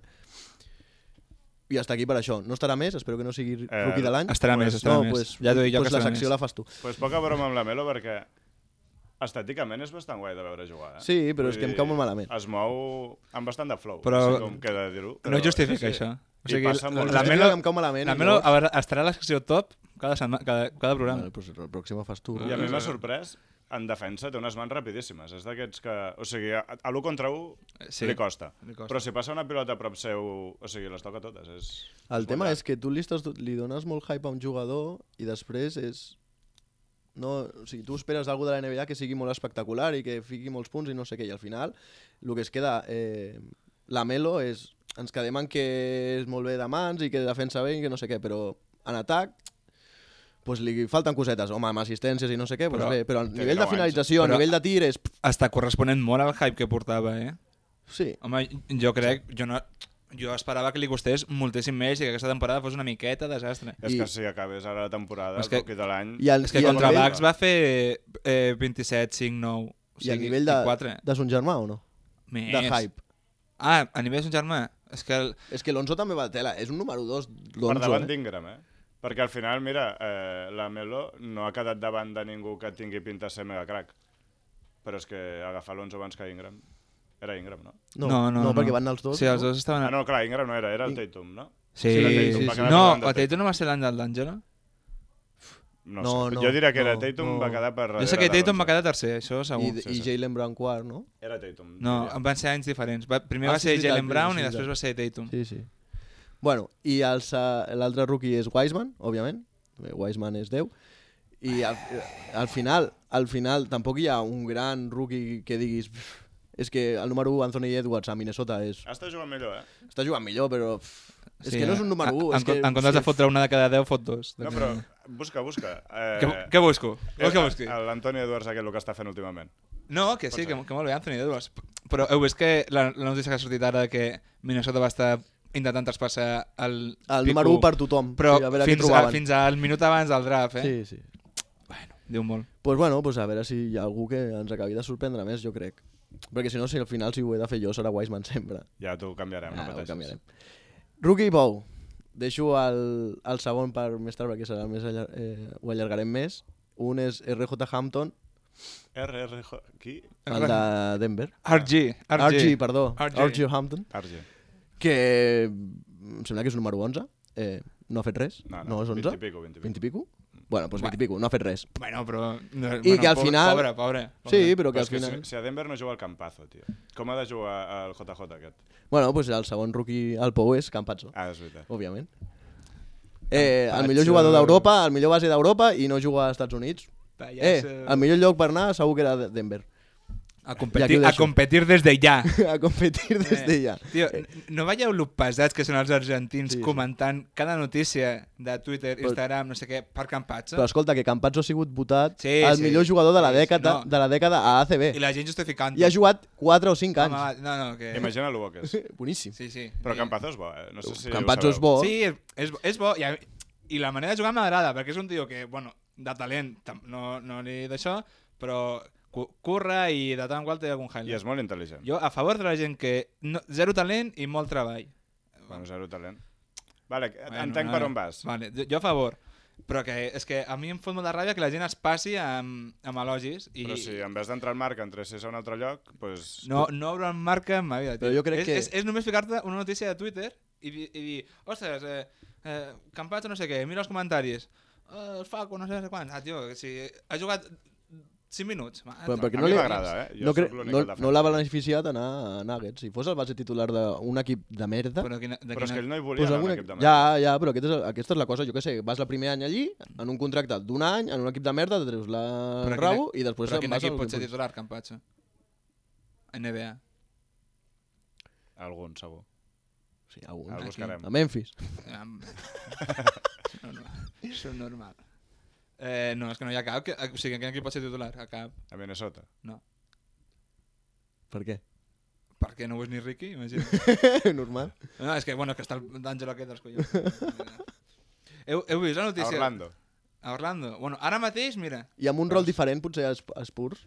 I està aquí per això. No estarà més, espero que no sigui rookie de l'any. Estarà més. Pues, ja t'ho dic jo que la estarà secció més. la fas tu. Pues poca broma amb la Melo perquè estèticament és bastant guai de veure jugar. Sí, però és que em cau molt malament. Es mou amb bastant de flow, però no sé com queda dir-ho. No justifica això. O sigui, la Melo em cau malament. La Melo estarà a la secció top cada programa. Vale, pues el pròxim fas tu. I a mi m'ha sorprès, en defensa té unes mans rapidíssimes. És d'aquests que... O sigui, a l'1 contra 1 li costa. Però si passa una pilota a prop seu, o sigui, les toca totes. El tema és que tu li dones molt hype a un jugador i després és... No, o sigui, tu esperes d'algú de la NBA que sigui molt espectacular i que fiqui molts punts i no sé què, i al final el que es queda la Melo és, ens quedem en que és molt bé de mans i que defensa bé i que no sé què, però en atac pues, li falten cosetes, home, amb assistències i no sé què, pues bé, però a nivell de finalització, a nivell de tir és... Està corresponent molt al hype que portava, eh? Sí. Home, jo crec, jo jo esperava que li costés moltíssim més i que aquesta temporada fos una miqueta desastre. És que si acabés ara la temporada, el rookie de l'any... És que contra Bucks va fer 27, 5, 9... I a nivell de son germà o no? Més. De hype. Ah, a nivell de son germà? És que l'Onzo també va a tela. És un número 2, l'Onzo. Per davant d'Ingram, Perquè al final, mira, la Melo no ha quedat davant de ningú que tingui pinta de ser mega crack. Però és que agafar l'Onzo abans que Ingram... Era Ingram, no? No, perquè van els dos. Sí, els dos estaven... Ah, no, clar, Ingram no era el Tatum, no? Sí. No, el Tatum no va ser l'any d'Angelo? No sé, jo diria que era Tatum, va quedar per... Jo sé que Tatum va quedar tercer, això segur. I Jaylen Brown quart, no? Era Tatum. No, van ser anys diferents. Primer va ser Jaylen Brown i després va ser Tatum. Sí. Bueno, i l'altre rookie és Wiseman, òbviament. Wiseman és 10. I al final tampoc hi ha un gran rookie que diguis... És que el número 1, Anthony Edwards, a Minnesota és... Està jugant millor, Està jugant millor, però... És que no és un número 1. En comptes de fotre una de cada 10, fot 2. No, però busca. Què busco? Vols que busqui? L'Anthony Edwards aquest, el que està fent últimament. No, que sí, que molt bé, Anthony Edwards. Però heu vist que la notícia que ha sortit ara que Minnesota va estar intentant traspassar el número 1 per tothom. Però fins al minut abans del draft, Sí. Bueno, diu molt. Pues a veure si hi ha algú que ens acabi de sorprendre més, jo crec. Perquè si no, al final si ho he de fer jo serà Wiseman sempre. Ja t'ho canviarem, no pateixis. Ho canviarem. Rookie Bow. Deixo el segon per més tard perquè serà més ho allargarem més. Un és RJ Hampton. Qui? El de Denver. RG, perdó. RG Hampton. Que em sembla que és el número 11. No ha fet res. No és 11? 20 i pico. Bueno, doncs 20 i pico, no ha fet res. Bueno, però... I que al final... Pobre. Sí, però que al final... Si a Denver no juga el Campazzo, tio. Com ha de jugar el JJ aquest? Bueno, doncs el segon rookie al Pou és Campazzo. Ah, és veritat. Òbviament. El millor jugador d'Europa, el millor base d'Europa i no juga als Estats Units. El millor lloc per anar segur que era Denver. A competir des de ja. A competir des de ja. Tio, no veieu lo pesats que són els argentins comentant cada notícia de Twitter, Instagram, no sé què, per Campazzo? Però escolta, que Campazzo ha sigut votat el millor jugador de la dècada a ACB. I la gent justificant. I ha jugat 4 o 5 anys. Que... Imagina-lo bo que és. Boníssim. Sí. Però Campazzo és bo, No sé si Campazzo és bo. Sí, és bo. I la manera de jugar m'agrada, perquè és un tio que, bueno, de talent no li d'això, però... curra i de tant en qual té algun highlight. I és molt intel·ligent. Jo a favor de la gent que... Zero talent i molt treball. Bueno, zero talent. Vale, entenc per on vas. Vale, jo a favor. Però que és que a mi em fot molta ràbia que la gent es passi amb elogis. Però si en vez d'entrar al marca entressis a un altre lloc, doncs... No obro en marca en ma vida. Però jo crec que... És només ficar-te una notícia de Twitter i dir, ostres, Campazzo no sé què, mira els comentaris. El Faco no sé quants. Tio, si ha jugat... 5 minuts. Però perquè no m'agrada, no l'ha beneficiat anar a Nuggets. Si fos el base titular d'un equip de merda... Però és que ell no hi volia anar a un equip de merda. Ja, però aquesta és la cosa, jo què sé, vas el primer any allí, en un contracte d'un any, en un equip de merda, te treus la rabo i després... Però quin equip pot ser titular, Campazzo? NBA? Algun, segur. Sí, algun. El buscarem. A Memphis. Això és normal. No, és que no hi ha cap. O sigui, en quin equip pot ser titular? A cap. A Minnesota? No. Per què? Perquè no ho és ni Ricky, imagina. Normal. No, és que, bueno, que està l'Àngelo aquest dels collons. Heu vist la notícia? A Orlando. Bueno, ara mateix, mira. I amb un rol diferent, potser a Spurs.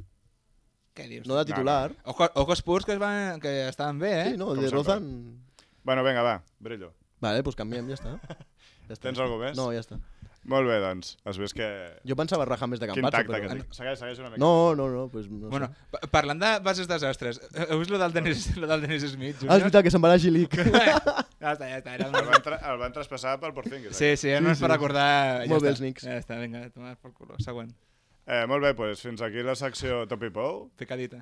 Què dius? No de titular. Ojo Spurs, que estaven bé, Sí, no, el de Rozan... Bueno, vinga, va, Brillo. Vale, doncs canviem, ja està. Tens alguna més? No, ja està. Molt bé, doncs. Has vist que... Jo pensava rajar més de Campazzo, però... Segueix una mica. No, pues no bueno, sé. Parlant de bases desastres, heu vist lo del Dennis Smith, Junior? És veritat, que se'n va a G-League. Ja està. El van traspassar pel Porzingis. Sí, no és per recordar... Molt bé els Knicks. Ja està, vinga, tomar pel culo. Següent. Molt bé, doncs fins aquí la secció Top i Pou. Picadita.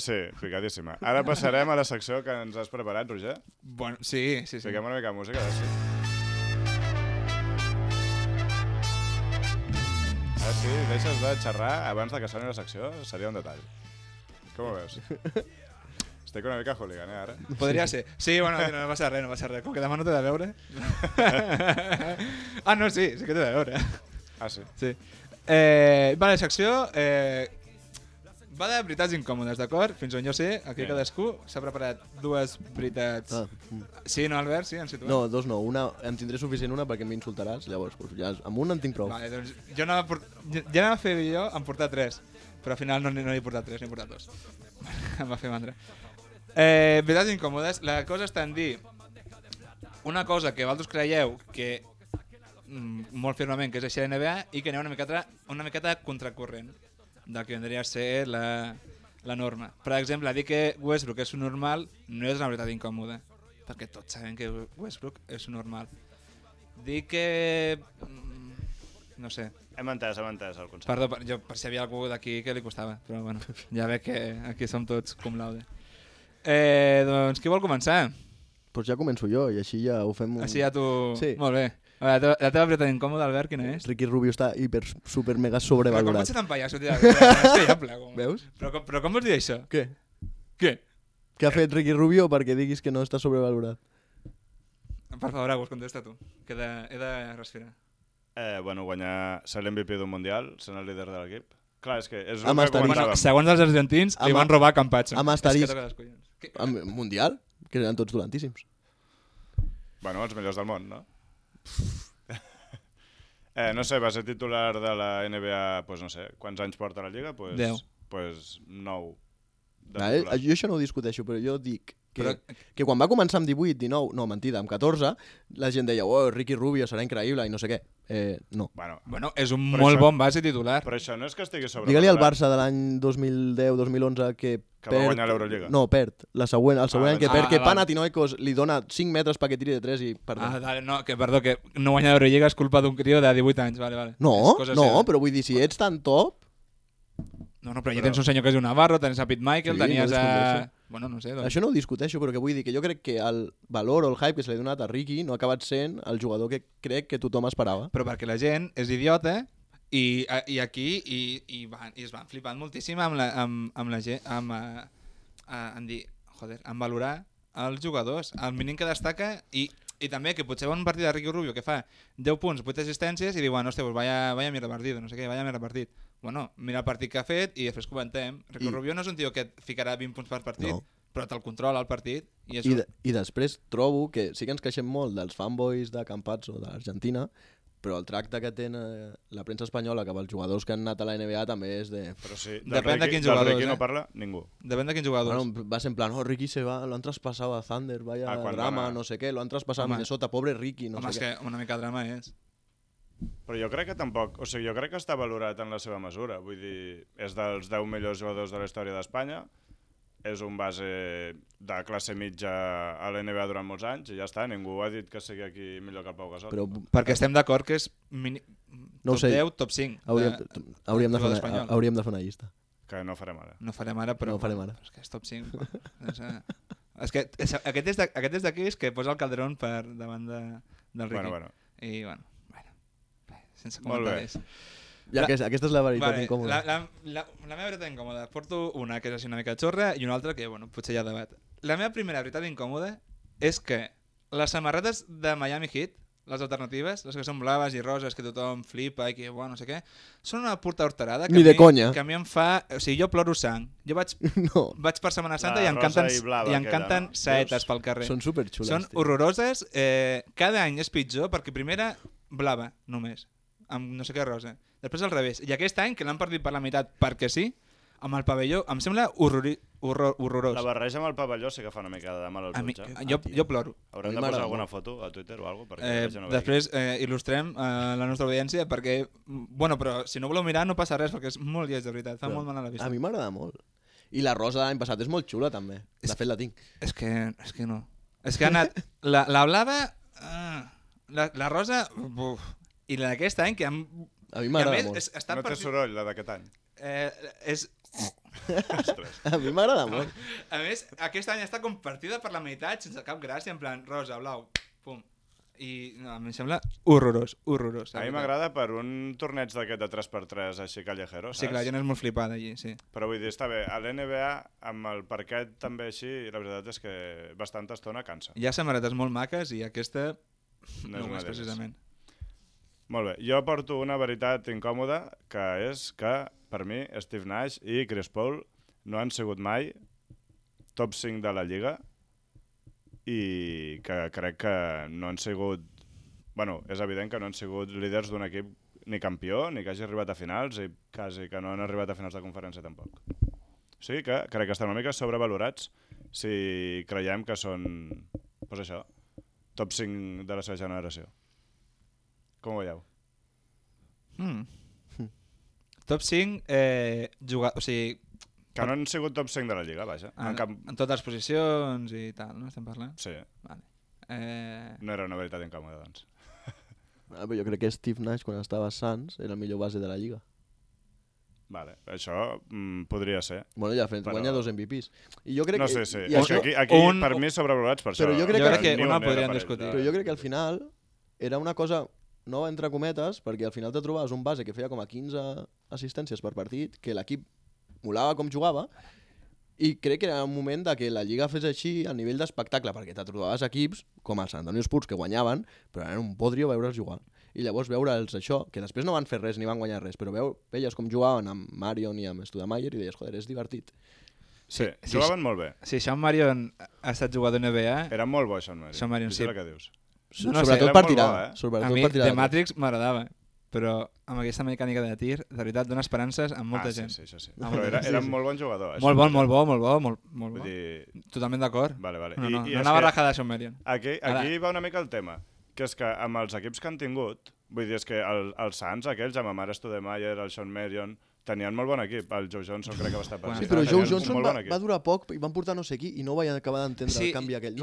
Sí, picadíssima. Ara passarem a la secció que ens has preparat, Roger. Bueno, sí. Fiquem una mica de música, sí. Si deixes de xerrar abans de que soni la secció, seria un detall. Com ho veus? Estic una mica hooligan, ara? Podria ser. Sí, bueno, no passa res. Com que demà no t'he de veure... no, sí que t'he de veure. Ah, sí? Sí. Vale, secció... va de veritats incòmodes, d'acord? Fins on jo sé, aquí cadascú s'ha preparat dues veritats. Sí, no, Albert? Sí, ens situem? No, dos no. Una, em tindré suficient una perquè m'insultaràs, llavors ja, amb una en tinc prou. Vale, doncs jo anava a fer jo en portar 3, però al final no n'he portat 3, n'he portat 2. Em va fer mandra. Veritats incòmodes, la cosa està en dir una cosa que vosaltres creieu que molt firmament que és així a la NBA i que aneu una miqueta contracorrent del que vendria a ser la norma. Per exemple, dir que Westbrook és un normal no és una veritat incòmoda, perquè tots sabem que Westbrook és un normal. Dir que... no sé. Hem entès el concepte. Perdó, per si hi havia algú d'aquí que li costava, però bueno, ja veig que aquí som tots cum laude. Doncs qui vol començar? Doncs ja començo jo i així ja ho fem... Així ja tu... Sí. Molt bé. La teva veritat incòmoda, Albert, quina és? Ricky Rubio està super mega Però com sobrevalorat. pots ser tan pallasso, tia? És que ja plego. Veus? Però com vols dir això? Què? Què? Què ha fet Ricky Rubio perquè diguis que no està sobrevalorat? Per favor, Agus, contesta tu, que he de respirar. Bueno, ser l'MVP d'un Mundial, sent el líder de l'equip. Clar, és que és Amb el que asterisc. comentàvem. Segons els argentins, li van robar Campazzo. Amb asterisc. És que toca les collons. Amb Mundial? Que eren tots dolentíssims. Bueno, els millors del món, no? No sé, va ser titular de la NBA, pues no sé, quants anys porta la Lliga? 10. Pues 9. Jo això no ho discuteixo, però jo dic que quan va començar amb 18, 19, no, mentida, amb 14, la gent deia, oh, Ricky Rubio serà increïble i no sé què. No. Bueno, és un molt bon base titular. Però això no és que estigui sobre... Digue-li al Barça de l'any 2010-2011 que va guanyar l'Eurolliga. No, perd. El següent any que perd, que vale. Panathinaikos li dona 5 metres perquè tiri de 3 i perdó. Perdó, que no guanyar l'Eurolliga és culpa d'un crió de 18 anys. Vale. No, però vull dir, si ets tan top... No, però ja tens un senyor que és un Navarro, tens a Pete Michael, Sí, tenies no a... Bueno, no sé. Doncs. Això no ho discuteixo, però que vull dir que jo crec que el valor o el hype que se li ha donat a Ricky no ha acabat sent el jugador que crec que tothom esperava. Però perquè la gent és idiota i aquí es van flipant moltíssim amb la gent, en valorar els jugadors. El mínim que destaca i també que potser va un partit de Ricky Rubio que fa 10 punts, 8 assistències i diu, bueno, hòstia, pues vaya mierda partido, no sé què, vaya mierda partit. Bueno, mira el partit que ha fet i després comentem. Ricky Rubio no és un tio que et ficarà 20 punts per partit, no. Però te'l controla el partit. I després trobo que sí que ens queixem molt dels fanboys de Campazzo, de l'Argentina, però el tracte que té la premsa espanyola cap als jugadors que han anat a la NBA també és de... Però sí, depèn de quins jugadors. Del Ricky no parla ningú. Depèn de quins jugadors. Bueno, va ser en plan, Ricky lo han traspasado a Thunder, vaya drama, no sé què, lo han traspasado a Minnesota, pobre Ricky, no sé què. Home, és que una mica de drama és. Però jo crec que tampoc... O sigui, jo crec que està valorat en la seva mesura. Vull dir, és dels 10 millors jugadors de la història d'Espanya, és un base de classe mitja a la NBA durant molts anys i ja està, ningú ha dit que sigui aquí millor que el Pau Gasol. Perquè estem d'acord que és top 10, top 5. Hauríem de fer una llista. Que no farem ara. No farem ara, però... No farem ara. És que és top 5. És que aquest és d'aquells que posa el Calderón per davant del Ricky. Bueno. I bueno, sense comentaris. Ja, aquesta és la veritat incòmoda. La meva veritat incòmoda. Porto una que és així una mica xorra i una altra que, bueno, potser hi ha debat. La meva primera veritat incòmoda és que les samarretes de Miami Heat, les alternatives, les que són blaves i roses, que tothom flipa i que, bueno, no sé què, són una puta horterada que, que a mi em fa... O sigui, jo ploro sang. Jo vaig per Setmana Santa i em canten saetes pel carrer. Són superxules. Són horroroses. Cada any és pitjor perquè primera blava, només, amb no sé què rosa. Després al revés. I aquest any, que l'han perdut per la meitat perquè sí, amb el pavelló, em sembla horrorós. La barreja amb el pavelló sí que fa una mica de mal al jutge. Jo ploro. Haurem de posar alguna foto a Twitter o alguna cosa? Després il·lustrem la nostra audiència perquè... Bueno, però si no voleu mirar no passa res perquè és molt lleig, de veritat. Fa molt mal a la vista. A mi m'agrada molt. I la rosa de l'any passat és molt xula, també. De fet, la tinc. És que no. És que ha anat... La blava... La rosa... I la d'aquest any, que... A mi m'agrada molt. No té soroll, la d'aquest any. És... A mi m'agrada molt. A més, aquest any està compartida per la meitat sense cap gràcia, en plan rosa, blau, pum. I no, em sembla horrorós. A mi m'agrada per un torneig d'aquest de 3x3 així callejero, saps? Sí, clar, la gent és molt flipada allí, sí. Però vull dir, està bé, a l'NBA amb el parquet també així, la veritat és que bastanta estona cansa. Hi ha samarretes molt maques i aquesta no és precisament. Molt bé, jo porto una veritat incòmoda, que és que per mi, Steve Nash i Chris Paul no han sigut mai top 5 de la Lliga i que crec que no han sigut... Bueno, és evident que no han sigut líders d'un equip ni campió, ni que hagi arribat a finals i quasi que no han arribat a finals de conferència tampoc. O sigui que crec que estan una mica sobrevalorats si creiem que són, doncs això, top 5 de la seva generació. Com ho veieu? Top 5, o sigui... Que no han sigut top 5 de la Lliga, vaja. En totes les posicions i tal, no? Estem parlant? Sí. Vale. No era una veritat incòmoda, doncs. Però jo crec que Steve Nash, quan estava a Suns, era el millor base de la Lliga. Vale, això podria ser. Bueno, ja guanya 2 MVPs. I jo crec no que, sé, sí. I això, aquí per mi sobrevalorats per això. Però jo crec que una podrien discutir. Però jo crec que al final era una cosa nova entre cometes, perquè al final te trobaves un base que feia com a 15 assistències per partit, que l'equip molava com jugava, i crec que era un moment de que la Lliga fes així a nivell d'espectacle, perquè te trobaves equips com els San Antonio Spurs que guanyaven, però era un podrio veure'ls jugar. I llavors veure'ls això, que després no van fer res ni van guanyar res, però veies com jugaven amb Marion i amb Stoudemire i deies, joder, és divertit. Sí, jugaven molt bé. Sí, Sean Marion ha estat jugador NBA. Era molt bo, Sean Marion. Sean Marion, sí. És el que dius. Sobretot per tirar. A mi The Matrix m'agradava, però amb aquesta mecànica de tir, de veritat, dona esperances a molta gent. Sí. Però era un molt bon jugador. Molt bo. Totalment d'acord. Vale. No anava rajada a Sean Marion. Aquí va una mica el tema, que és que amb els equips que han tingut, vull dir, és que els Suns, aquells, amb Amara Stoudemire, el Sean Marion, tenien molt bon equip. El Joe Johnson crec que va estar per Sí, però Joe Johnson va durar poc i van portar no sé qui i no vaig acabar d'entendre el canvi aquell.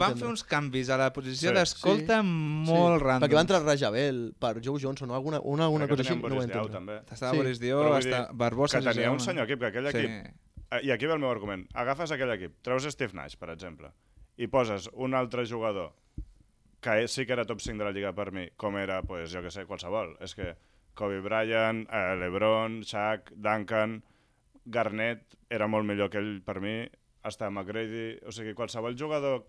Van fer uns canvis a la posició d'escolta molt random. Perquè va entrar Rajabel per Joe Johnson o alguna cosa així. Boris Diaw, també. Estava Boris Diaw, Barbosa... Que tenia un senyor equip, que aquell equip... I aquí ve el meu argument. Agafes aquell equip, treus Steve Nash, per exemple, i poses un altre jugador que sí que era top 5 de la Lliga per mi, com era, pues, jo que sé, qualsevol. És que Kobe Bryant, LeBron, Shaq, Duncan, Garnett era molt millor que ell per mi, hasta McGrady, o sigui, qualsevol jugador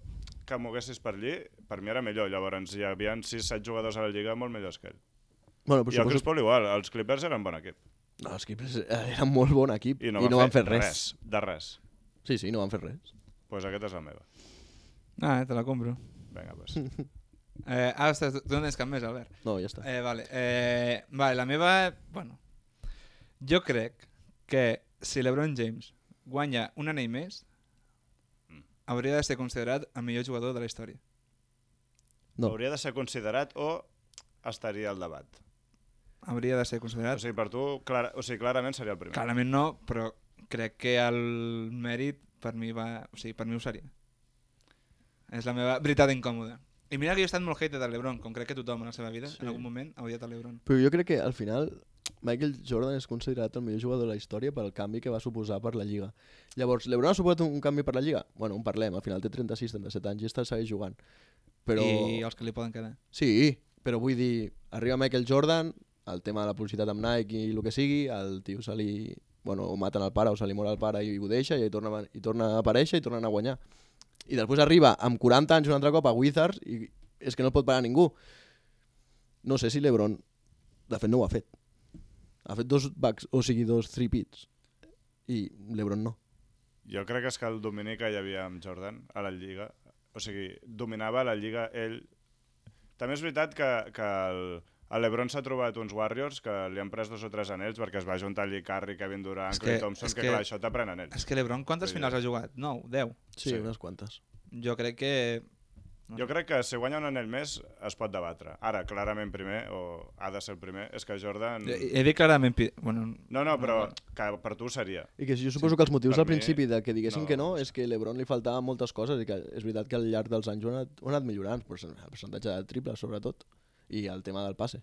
que moguessis per allí, per mi era millor. Llavors hi havia 6-7 jugadors a la Lliga molt millors que ell. I el Chris Paul igual, els Clippers eren bon equip. No, els Clippers eren molt bon equip i no van fer res. De res. Sí, no van fer res. Doncs aquesta és la meva. Te la compro. Vinga, doncs. Ostres, tu no tens cap més, Albert? No, ja està. Vale, la meva... Bueno, jo crec que si LeBron James guanya un anell més, hauria de ser considerat el millor jugador de la història. No. Hauria de ser considerat o estaria al debat? Hauria de ser considerat. O sigui, per tu, clarament seria el primer. Clarament no, però crec que el mèrit per mi ho seria. És la meva veritat incòmoda. I mira que jo he estat molt hater del LeBron, com crec que tothom en la seva vida, en algun moment ha odiat el LeBron. Però jo crec que al final Michael Jordan és considerat el millor jugador de la història pel canvi que va suposar per la Lliga. Llavors, LeBron ha suposat un canvi per la Lliga? Bueno, en parlem, al final té 36-37 anys i segueix jugant. Però... I els que li poden quedar. Sí, però vull dir, arriba Michael Jordan, el tema de la publicitat amb Nike i el que sigui, el tio se li... Bueno, o maten el pare o se li mor el pare i ho deixa i torna a aparèixer i tornen a guanyar. I després arriba amb 40 anys un altre cop a Wizards i és que no el pot parar ningú. No sé si LeBron, de fet no ho ha fet. Ha fet 2 3-peats i LeBron no. Jo crec que és que el domini que hi havia amb Jordan a la Lliga, o sigui, dominava la Lliga ell. També és veritat que el LeBron s'ha trobat uns Warriors que li han pres 2 o 3 anells perquè es va juntar allí Curry, Kevin Durant, Klay Thompson, que clar, això t'aprèn anells. És que LeBron quantes finals ha jugat? 9, 10? Sí, unes quantes. Jo crec que... Jo crec que si guanya un anell més es pot debatre. Ara, clarament primer, o ha de ser el primer, és que Jordan... He dit clarament... Bueno, no, però que per tu seria. I que jo suposo que els motius al principi de que diguessin que no és que LeBron li faltaven moltes coses i que és veritat que al llarg dels anys ho ha anat millorant, el percentatge de triples sobretot, i el tema del passe.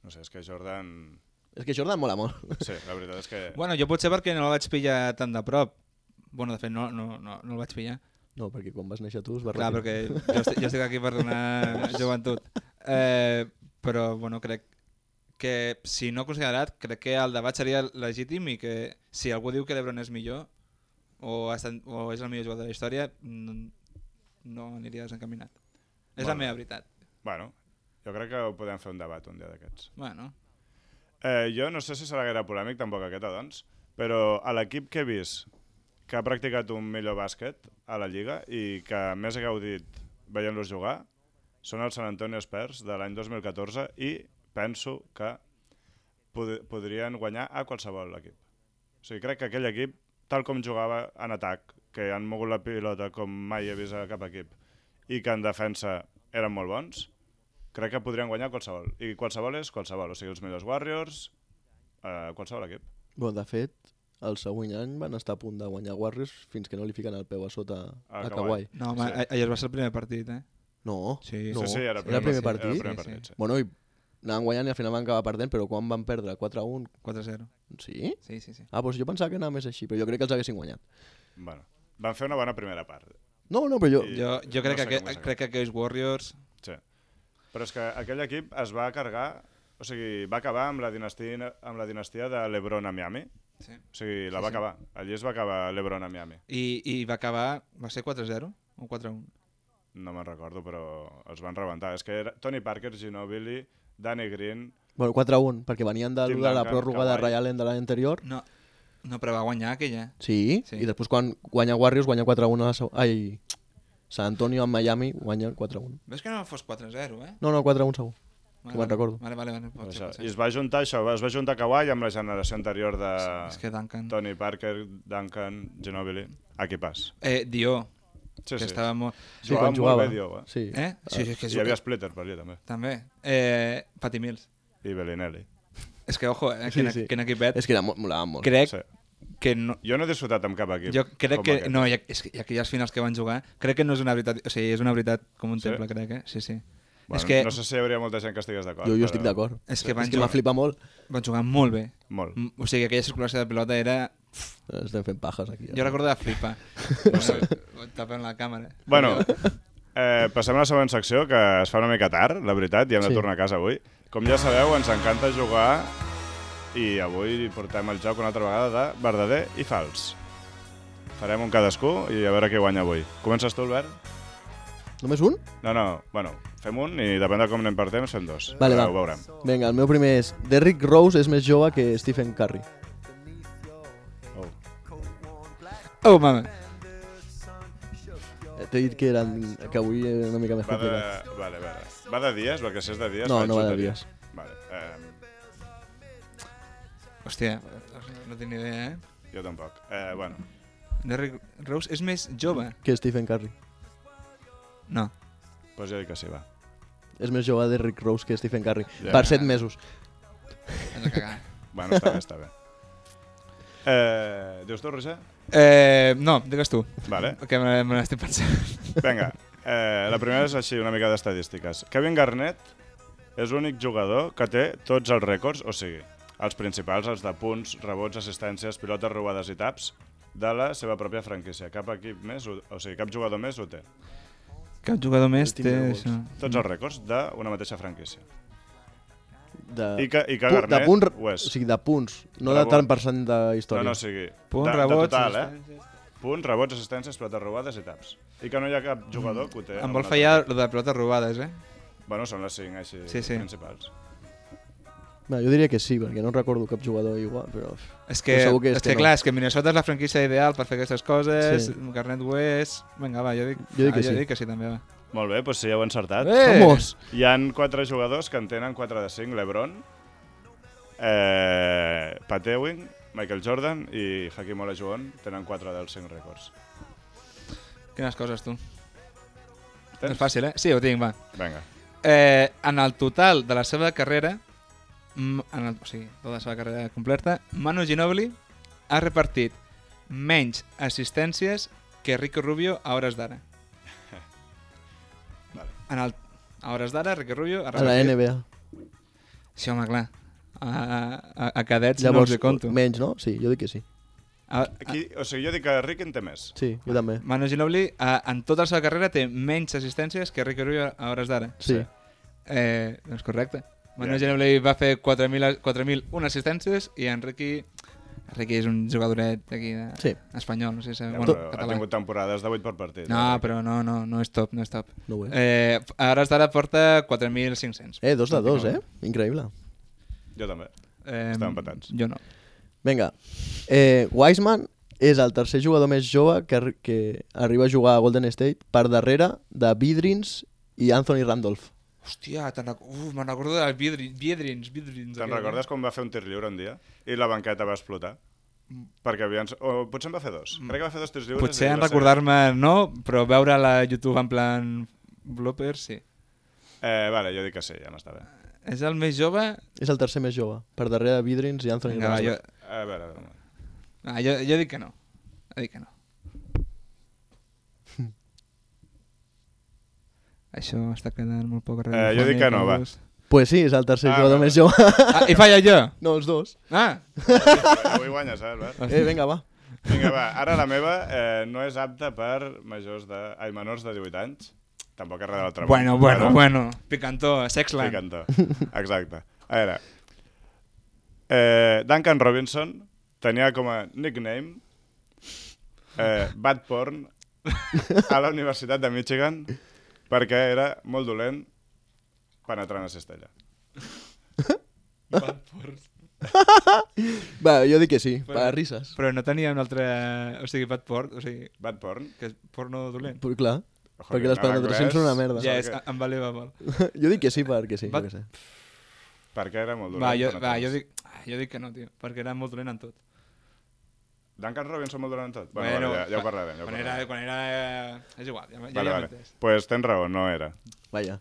No sé, és que Jordan... És que Jordan mola molt. Sí, la veritat és que... Bueno, jo potser perquè no el vaig pillar tan de prop. Bueno, de fet, no el vaig pillar. No, perquè quan vas néixer tu es va retirar. Clar, perquè jo estic aquí per donar joventut. Però, bueno, crec que si no considerat, crec que el debat seria legítim i que si algú diu que l'Ebron és millor o és el millor jugador de la història, no aniria desencaminat. És la meva veritat. Bueno, jo crec que podem fer un debat un dia d'aquests. Bueno. Jo no sé si serà gaire polèmic, tampoc aquesta, doncs, però a l'equip que he vist que ha practicat un millor bàsquet a la Lliga i que més he gaudit veient-los jugar són els San Antonio Spurs de l'any 2014 i penso que podrien guanyar a qualsevol equip. O sigui, crec que aquell equip, tal com jugava en atac, que han mogut la pilota com mai he vist a cap equip, i que en defensa eren molt bons, crec que podrien guanyar qualsevol. I qualsevol és qualsevol, o sigui, els millors Warriors, qualsevol equip. Bon, de fet, el següent any van estar a punt de guanyar Warriors fins que no li fiquen el peu a sota a Kawhi. No, home, ahir va ser el primer partit, eh? No, Sí. no. Sí, era el primer partit? Era el primer partit, sí. Bueno, i anaven guanyant i al final van acabar perdent, però quan van perdre? 4-1? 4-0. Sí? Sí. Ah, doncs jo pensava que anava més així, però jo crec que els haguessin guanyat. Bueno, van fer una bona primera part. No, però jo... Jo crec, crec que aquells Warriors... Sí. Però és que aquell equip es va carregar, o sigui, va acabar amb la dinastia de LeBron a Miami. Sí. O sigui, la va acabar. Allí es va acabar LeBron a Miami. I va acabar... Va ser 4-0 o 4-1? No me'n recordo, però els van rebentar. És que era Tony Parker, Ginobili, Danny Green... Bueno, 4-1, perquè venien de Tim la Duncan, pròrroga de Kawhi. Ray Allen de l'any anterior. No, però va guanyar aquella. Sí, Sí. i després quan guanya Warriors, guanya 4-1 a la Ai, San Antonio amb Miami, guanya 4-1. Ves que no fos 4-0, eh? No, 4-1 segur. Que me'n recordo. Vale, pot ser, Això. pot ser. I es va juntar això, es va juntar Kawhi amb la generació anterior de És que Duncan... Tony Parker, Duncan, Ginobili. Equipàs. Dio, Sí, que sí. estava molt... Sí, Jugava quan jugava. molt bé, Dio, eh? Sí. Sí, és que Hi havia Splitter per allà, també. també. Patty Mills. I Bellinelli. És que, ojo, Sí, sí. quin equipet. És que molaven molt. Crec Sí. que no... Jo no he disfrutat amb cap equip. Jo crec com que... aquest. No, és que aquelles finals que van jugar, crec que no és una veritat... O sigui, és una veritat com un Sí? temple, crec, eh? Sí. Bueno, És que, no sé si hi hauria molta gent que estigués d'acord. Jo però- estic d'acord. és que van És que m'ha jugar, flipat molt. van jugar molt bé. Molt. O sigui, aquella circulació de pilota era... Estem fent pajes aquí. Jo recordo de flipar. Tapem la càmera. Bueno, passem a la següent secció, que es fa una mica tard, la veritat, i hem de Sí. tornar a casa avui. Com ja sabeu, ens encanta jugar i avui portem el joc una altra vegada de verdader i fals. Farem un cadascú i a veure qui guanya avui. Comences tu, Albert? Només un? No, bueno, fem un i depèn de com anem per temps, fem dos. Vale, Però va. ho veurem. Vinga, el meu primer és... Derrick Rose és més jove que Stephen Curry. Oh. Oh, mama. T'he dit que que avui era una mica més complicat. Vale. Va de dies? Perquè si és de dies... No, faig no va de loteria. dies. Vale, Hòstia, no tinc ni idea, eh? jo tampoc. Bueno, Derrick Rose és més jove? Que Stephen Curry. No. doncs jo dic que sí, va. És més jove Derrick Rose que Stephen Curry. Ja. Per 7 mesos. Has de cagar. Bueno, està bé. Dius tu, Roger? No, digues tu. Vale. Que me n'estic pensant. Vinga, la primera és així, una mica d'estadístiques. Kevin Garnett és l'únic jugador que té tots els rècords, o sigui, els principals, els de punts, rebots, assistències, pilotes robades i taps, de la seva pròpia franquícia. Cap equip més, o sigui, cap jugador més ho té. Cap jugador més El té Timberwolves. això. Tots els rècords d'una mateixa franquícia. De, I que de Garnett punt, ho és. o sigui, de punts, no Rebot. de tant percent de No, història. no, o sigui, Punt, de rebots, total, assistències. Punts, rebots, assistències, pilotes robades i taps. I que no hi ha cap jugador que ho té. Em amb vol un fallar altre. lo de pilotes robades, eh? Bueno, són les 5 així Sí. principals. No, jo diria que sí, perquè no recordo cap jugador igual, però... És que, Però segur que és és que que no. clar, és que Minnesota és la franquícia ideal per fer aquestes coses, Sí. Garnett ho és... Vinga, va, jo dic que sí. Jo dic que sí, també, va. Molt bé, doncs sí, heu encertat. Vamos! Hi han 4 jugadors que en tenen 4 de 5, LeBron, Pat Ewing, Michael Jordan i Hakeem Olajuwon tenen 4 dels 5 rècords. Quines coses, tu. Tens? És fàcil, eh? Sí, ho tinc, va. Vinga. En el total de la seva carrera, o sigui, tota la seva carrera completa, Manu Ginobili ha repartit menys assistències que Ricky Rubio a hores d'ara. Vale. A hores d'ara, Ricky Rubio ha A la repartit... NBA. Sí, home, clar. A cadets no Llavors, els hi conto. menys, no? Sí, jo dic que sí. Aquí, o sigui, jo dic que Rick en té més. Sí, jo també. Manu Ginobili, en tota la seva carrera, té menys assistències que Ricky Rubio a hores d'ara. Sí. Doncs correcte. Manu Ja. Ginobili va fer 4.001 assistències i en Ricky és un jugadoret d'aquí Sí. espanyol, no sé si... Ja, Bueno, però ha català. tingut temporades de 8 per partit. No, però no és top, no és top. No ho és. A hores d'ara porta 4.500. 2 de 2, eh? Increïble. Jo també. Estan empatats. Jo no. Vinga. Wiseman és el tercer jugador més jove que arriba a jugar a Golden State per darrere de Biedrins i Anthony Randolph. Hòstia, me'n recordo del Biedrins. Te'n recordes quan va fer un tir lliure un dia i la banqueta va explotar? Perquè o potser en va fer dos. Crec que va fer 2 tirs lliures. Potser en recordar-me no, però veure la YouTube en plan bloopers, sí. Vale, jo dic que sí, ja m'està bé. És el més jove? És el tercer més jove, per darrere de Biedrins i Anthony Randolph. A veure. Jo dic que no. Això està quedant molt poc radiofònic. Jo dic que no, va. Pues sí, és el tercer jugador més jove. I falla jo? No, els dos. Avui guanyes, Albert? Vinga, va. Vinga, va. Ara la meva no és apta per menors de 18 anys. Tampoc és res de l'altre món. Bueno. Picantó, Sexland. Picantó, exacte. A veure, Duncan Robinson tenia com a nickname Bad Porn a la Universitat de Michigan perquè era molt dolent penetrant a cistella. Bad Porn. Va, jo dic que sí, per a risses. Però no tenia un altre... O sigui, Bad Porn, Bad Porn? que és porno dolent. Però clar, perquè les penetracions són una merda. Ja, em valeva molt. Jo dic que sí, perquè sí. Perquè era molt dolent. Jo dic que no, tio, perquè era molt dolent en tot. Duncan Robinson molt dolent en tot? Bueno, ja ho parlarem. Quan era... És igual, ja vale. Pues tens raó, no era. Vaja.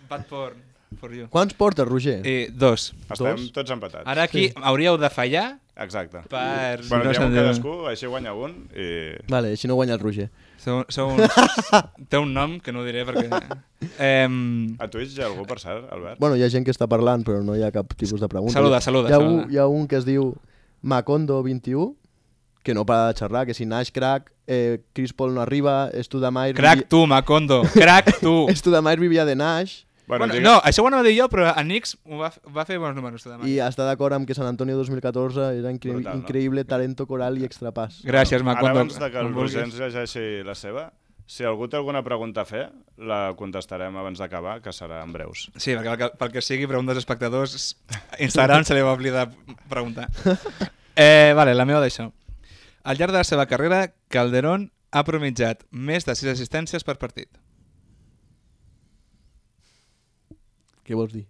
Bad Porn, for you. Quants portes, Roger? 2. Estem tots empatats. Ara aquí hauríeu de fallar. Exacte. Bueno, diguem cadascú, així guanya un i... Vale, així no guanya el Roger. Té un nom que no ho diré perquè... A Twitch hi ha algú per cert, Albert? Bueno, hi ha gent que està parlant, però no hi ha cap tipus de pregunta. Saluda. Hi ha un que es diu Macondo21, que no para de xerrar, que si Nash crack, Chris Paul no arriba, Studamayer... Crack tu, Macondo, crack tu! Studamayer vivia de Nash... Bueno, no, això ho anava a dir jo, però a Knicks va fer bons números. I està d'acord amb que San Antonio 2014 era increïble talento coral i extrapàs. Gràcies, Macondo. Ara abans que el Roger ens llegeixi la seva, si algú té alguna pregunta a fer, la contestarem abans d'acabar, que serà en breus. Sí, perquè pel que sigui, preguntes als espectadors, Instagram se li va oblidar preguntar. Vale, la meva d'això. Al llarg de la seva carrera, Calderón ha promitjat més de 6 assistències per partit. Què vols dir?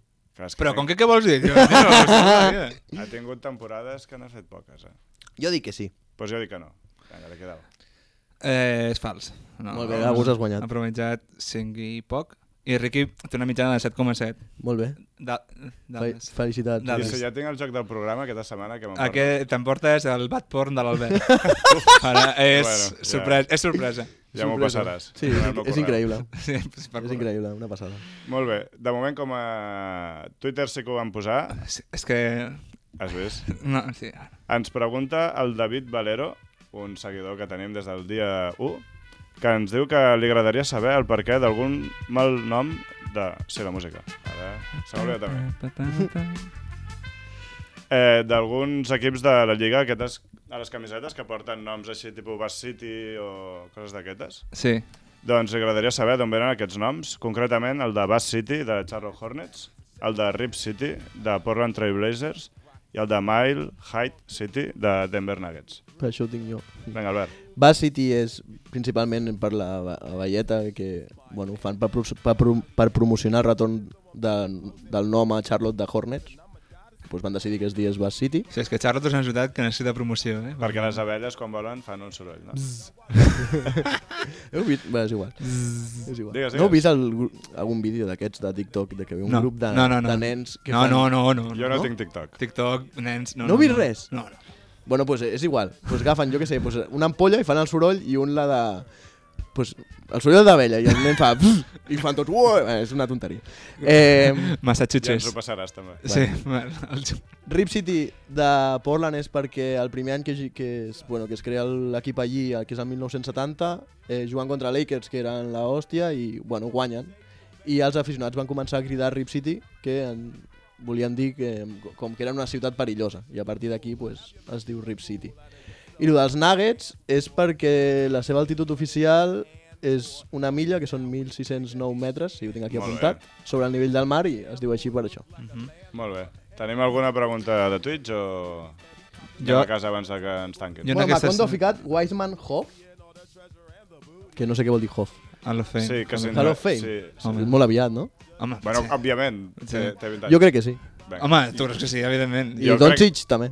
Però com que què vols dir? Ha tingut temporades que n'ha fet poques, Jo dic que sí. Doncs jo dic que no. Vinga, li quedava. És fals. Molt bé, algú has guanyat. Ha promitjat 5 i poc. I Riqui té una mitjana de 7,7. Molt bé. Felicitats. I si ja tinc el joc del programa aquesta setmana, que m'emporta? Aquest t'emportes el Bad Porn de l'Albert. Ara és sorpresa. Ja m'ho passaràs. Sí, és increïble. Sí, és increïble, una passada. Molt bé. De moment, com a Twitter sí que ho vam posar. És que... Has vist? No, sí. Ens pregunta el David Valero, un seguidor que tenim des del dia 1, que ens diu que li agradaria saber el perquè d'algun mal nom de... Sí, la música. Ara se m'ha oblidat també. D'alguns equips de la Lliga, aquestes a les camisetes que porten noms així, tipus Bass City o coses d'aquestes. Sí. Doncs li agradaria saber d'on venen aquests noms, concretament el de Bass City, de Charlotte Hornets, el de Rip City, de Portland Trail Blazers, i el de Mile High City, de Denver Nuggets. Per això ho tinc jo. Vinga, Albert. Bass City és principalment per la velleta, que bueno, fan per promocionar el retorn del nom a Charlotte de Hornets. Doncs van decidir que es digués Bass City. Sí, és que Charlotte és una ciutat que necessita promoció, eh? Perquè les abelles, quan volen, fan un soroll, no? Heu vist? Bé, és igual. Digues. No heu vist algun vídeo d'aquests de TikTok, de que ve un grup de nens que fan... No. Jo no tinc TikTok. TikTok, nens... No heu vist res? No. Bueno, doncs és igual. Doncs agafen, jo què sé, una ampolla i fan el soroll i un la de... Pues, el soroll d'abella i el nen fa... I fan tots... És una tonteria. Massachusetts. Ja ens ho passaràs, també. Sí. Rip City de Portland és perquè el primer any que es crea l'equip allí, que és el 1970, jugant contra Lakers, que eren la hòstia, i guanyen. I els aficionats van començar a cridar Rip City, que volien dir que era una ciutat perillosa. I a partir d'aquí es diu Rip City. I el dels Nuggets és perquè la seva altitud oficial és una milla, que són 1.609 metres, si ho tinc aquí Molt apuntat, sobre el nivell del mar i es diu així per això. Molt bé. Tenim alguna pregunta de Twitch o Jo- anem a casa abans que ens tanquin? Jo- Bueno, aquestes- Macondo ha ficat Wiseman Hoff, que no sé què vol dir Hoff. Hall of Fame. Sí, que sí. Hall of Fame. Sí. Home. És molt aviat, no? Home, Bueno, sí. òbviament, té 20 anys. Jo crec que sí. Vinga. Home, tu creus que sí, evidentment. I Jo Doncic també.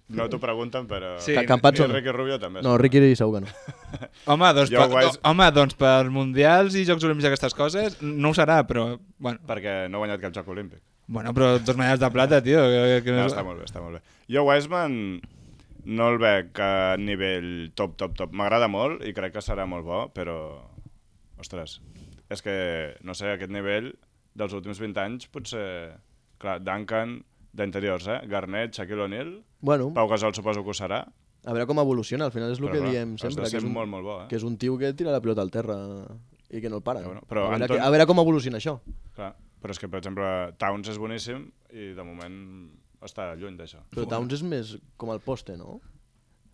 No t'ho pregunten, però... Sí. Campazzo I no. Ricky Rubio també. No, Ricky segur que no. Home, doncs, Jo, guais- doncs per mundials i Jocs Olímpics i aquestes coses no ho serà, però... Bueno, Perquè no ha guanyat cap joc olímpic. però 2 medalles de plata, tio. Que No, està molt bé, està molt bé. Jo Wiseman no el veig a nivell top. M'agrada molt i crec que serà molt bo, però... Ostres, és que, no sé, aquest nivell dels últims 20 anys potser... Clar, Duncan, d'interiors, Garnett, Shaquille O'Neal, Bueno, Pau Gasol suposo que ho serà, a veure com evoluciona. Al final és el però que clar, diem has de sempre, que ser és, un, molt bo, que és un tio que tira la pilota al terra i que no el para. Bueno, però a, veure, Anton- a veure com evoluciona això. Clar, però és que, per exemple, Towns és boníssim i de moment està lluny d'això. Però Towns és més com el poste, no?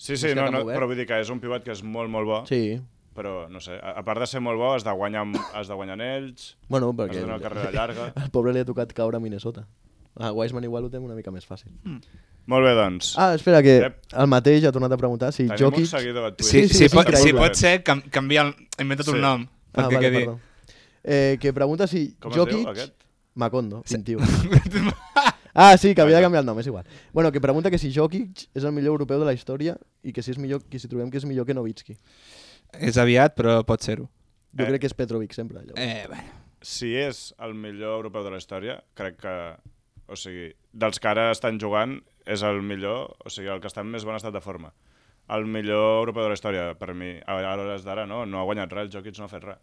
Sí, És que no, tan obert. però vull dir que és un pivot que és molt bo, Sí. però no sé, a part de ser molt bo has de guanyar anells, Bueno, has perquè de donar carrera llarga. al pobre li ha tocat caure a Minnesota. A Wiseman igual ho té una mica més fàcil. Molt bé, doncs. Ah, espera, que Ep. el mateix ha tornat a preguntar si Tenim Jokic... un seguidor a Twitch. Sí, Sí, és increïble. si pot ser, canvia he inventat Sí. un nom. Ah, Perquè vale, quedi... perdó. Que pregunta si Com es Jokic... diu, aquest? Macondo, 21. Ah, sí, que havia de canviar el nom, és igual. Bueno, que pregunta que si Jokic és el millor europeu de la història i que si és millor, que si trobem que és millor que Nowitzki. És aviat, però pot ser-ho. Jo crec que és Petrovic sempre. Llavors. Bueno. Si és el millor europeu de la història, crec que, o sigui, dels que ara estan jugant, és el millor, o sigui, el que està en més bon estat de forma. El millor europeu de la història, per mi, a l'hores d'ara, no ha guanyat res, el Jokic no ha fet res.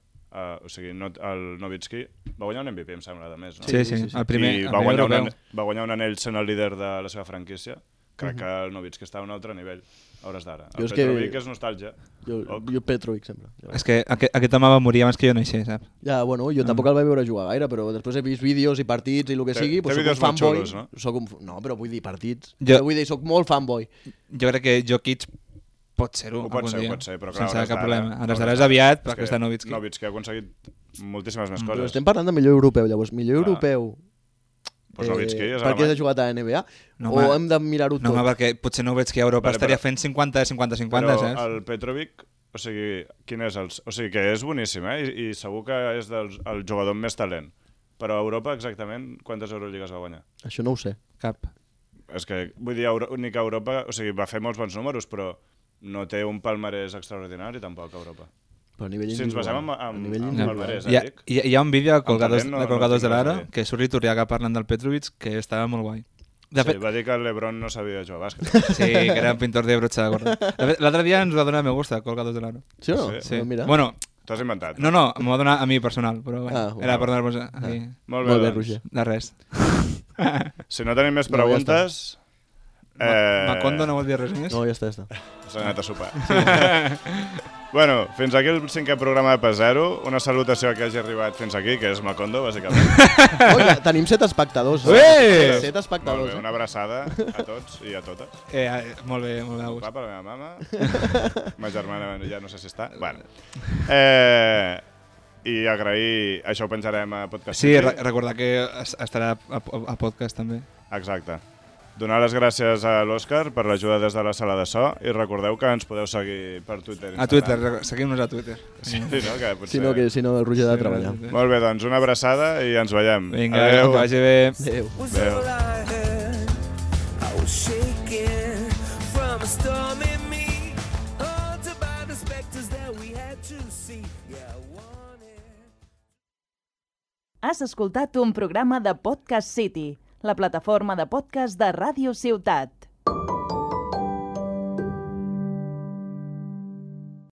O sigui, el Nowitzki va guanyar un MVP, em sembla, de més, no? Sí, sí. el primer, I el va primer guanyar, europeu. va guanyar un anell sent el líder de la seva franquícia. Crec que el Nowitzki està a un altre nivell, a hores d'ara. Jo El és que- Petrovic és nostàlgia. Jo Petrovic sempre. Llavors. És que aquest home va morir abans que jo naixés, saps? Ja, bueno, jo tampoc el vaig veure jugar gaire, però després he vist vídeos i partits i el que Té- sigui, té doncs soc un vídeos molt fanboy. xulos, no? No, però vull dir partits. Jo- Vull dir, soc molt fanboy. Jo crec que Jokic pot ser-ho Ho pot algun ser, dia. però clar, sense hores cap d'ara- problema. A hores les d'ara és d'ara. aviat, És perquè que està Nowitzki. Nowitzki ha aconseguit moltíssimes més Però coses. estem parlant de millor europeu, llavors. Millor europeu Pues Nowitzki és perquè alemany. ha jugat a NBA? No, o home. hem de mirar-ho tot? No, home, perquè potser Nowitzki a Europa Vale, estaria però- fent 50-50-50, Però saps? el Petrovic, o sigui, quin és el... O sigui, que és boníssim, I segur que és el jugador amb més talent. Però a Europa, exactament, quantes Euroligues va guanyar? Això no ho sé. Cap. És que, vull dir, ni que Europa... O sigui, va fer molts bons números, però no té un palmarès extraordinari, tampoc, a Europa. Però a nivell Si ens basem individual. en A nivell en individual. palmarès, Hi ha, dic. hi ha un vídeo de Colgados, talent no- de Colgados no de tinc res a l'Aro dir. que surt Iturriaga parlant del Petrovic, que estava molt guai. De Sí, fet, va dir que el LeBron no sabia jugar a bàsquet. sí, que era un pintor de brocha gorda. De fet, l'altre dia ens va donar me gusta Colgados de l'Aro. Sí o no? Sí. Sí. Doncs mira. Bueno, T'ho has inventat. no, m'ho va donar a mi personal, però bueno, Ah, era bueno. per donar-vos aquí. Molt Molt bé, doncs. Roger. De res. Si no tenim més No, ja preguntes... Macondo no vol dir res més? No, ja està. S'ha anat a sopar. Bueno, fins aquí el 5è programa de P0. Una salutació a qui hagi arribat fins aquí, que és Macondo, bàsicament. Oh, ja, tenim 7 espectadors. Ué! 7 Molt espectadors. bé, una abraçada a tots i a totes. Molt bé, August. Va per la meva mama. Ma germana ja no sé si està. Bueno. I agrair... Això ho penjarem a Podcast Sí, City. recordar que estarà a podcast també. Exacte. Donar les gràcies a l'Òscar per l'ajuda des de la sala de so i recordeu que ens podeu seguir per Twitter i A Instagram. Twitter, seguim-nos a Twitter. Sí, no? Que potser... Si no, el Roger ha de treballar. Molt bé, doncs una abraçada i ens veiem. Vinga, Adéu. que vagi bé. Adéu. Was all I heard. I was shaking from a storm in me, haunted by the specters that we had to see. Yeah, I wanted. Has escoltat un programa de Podcast City, la plataforma de podcast de Ràdio Ciutat.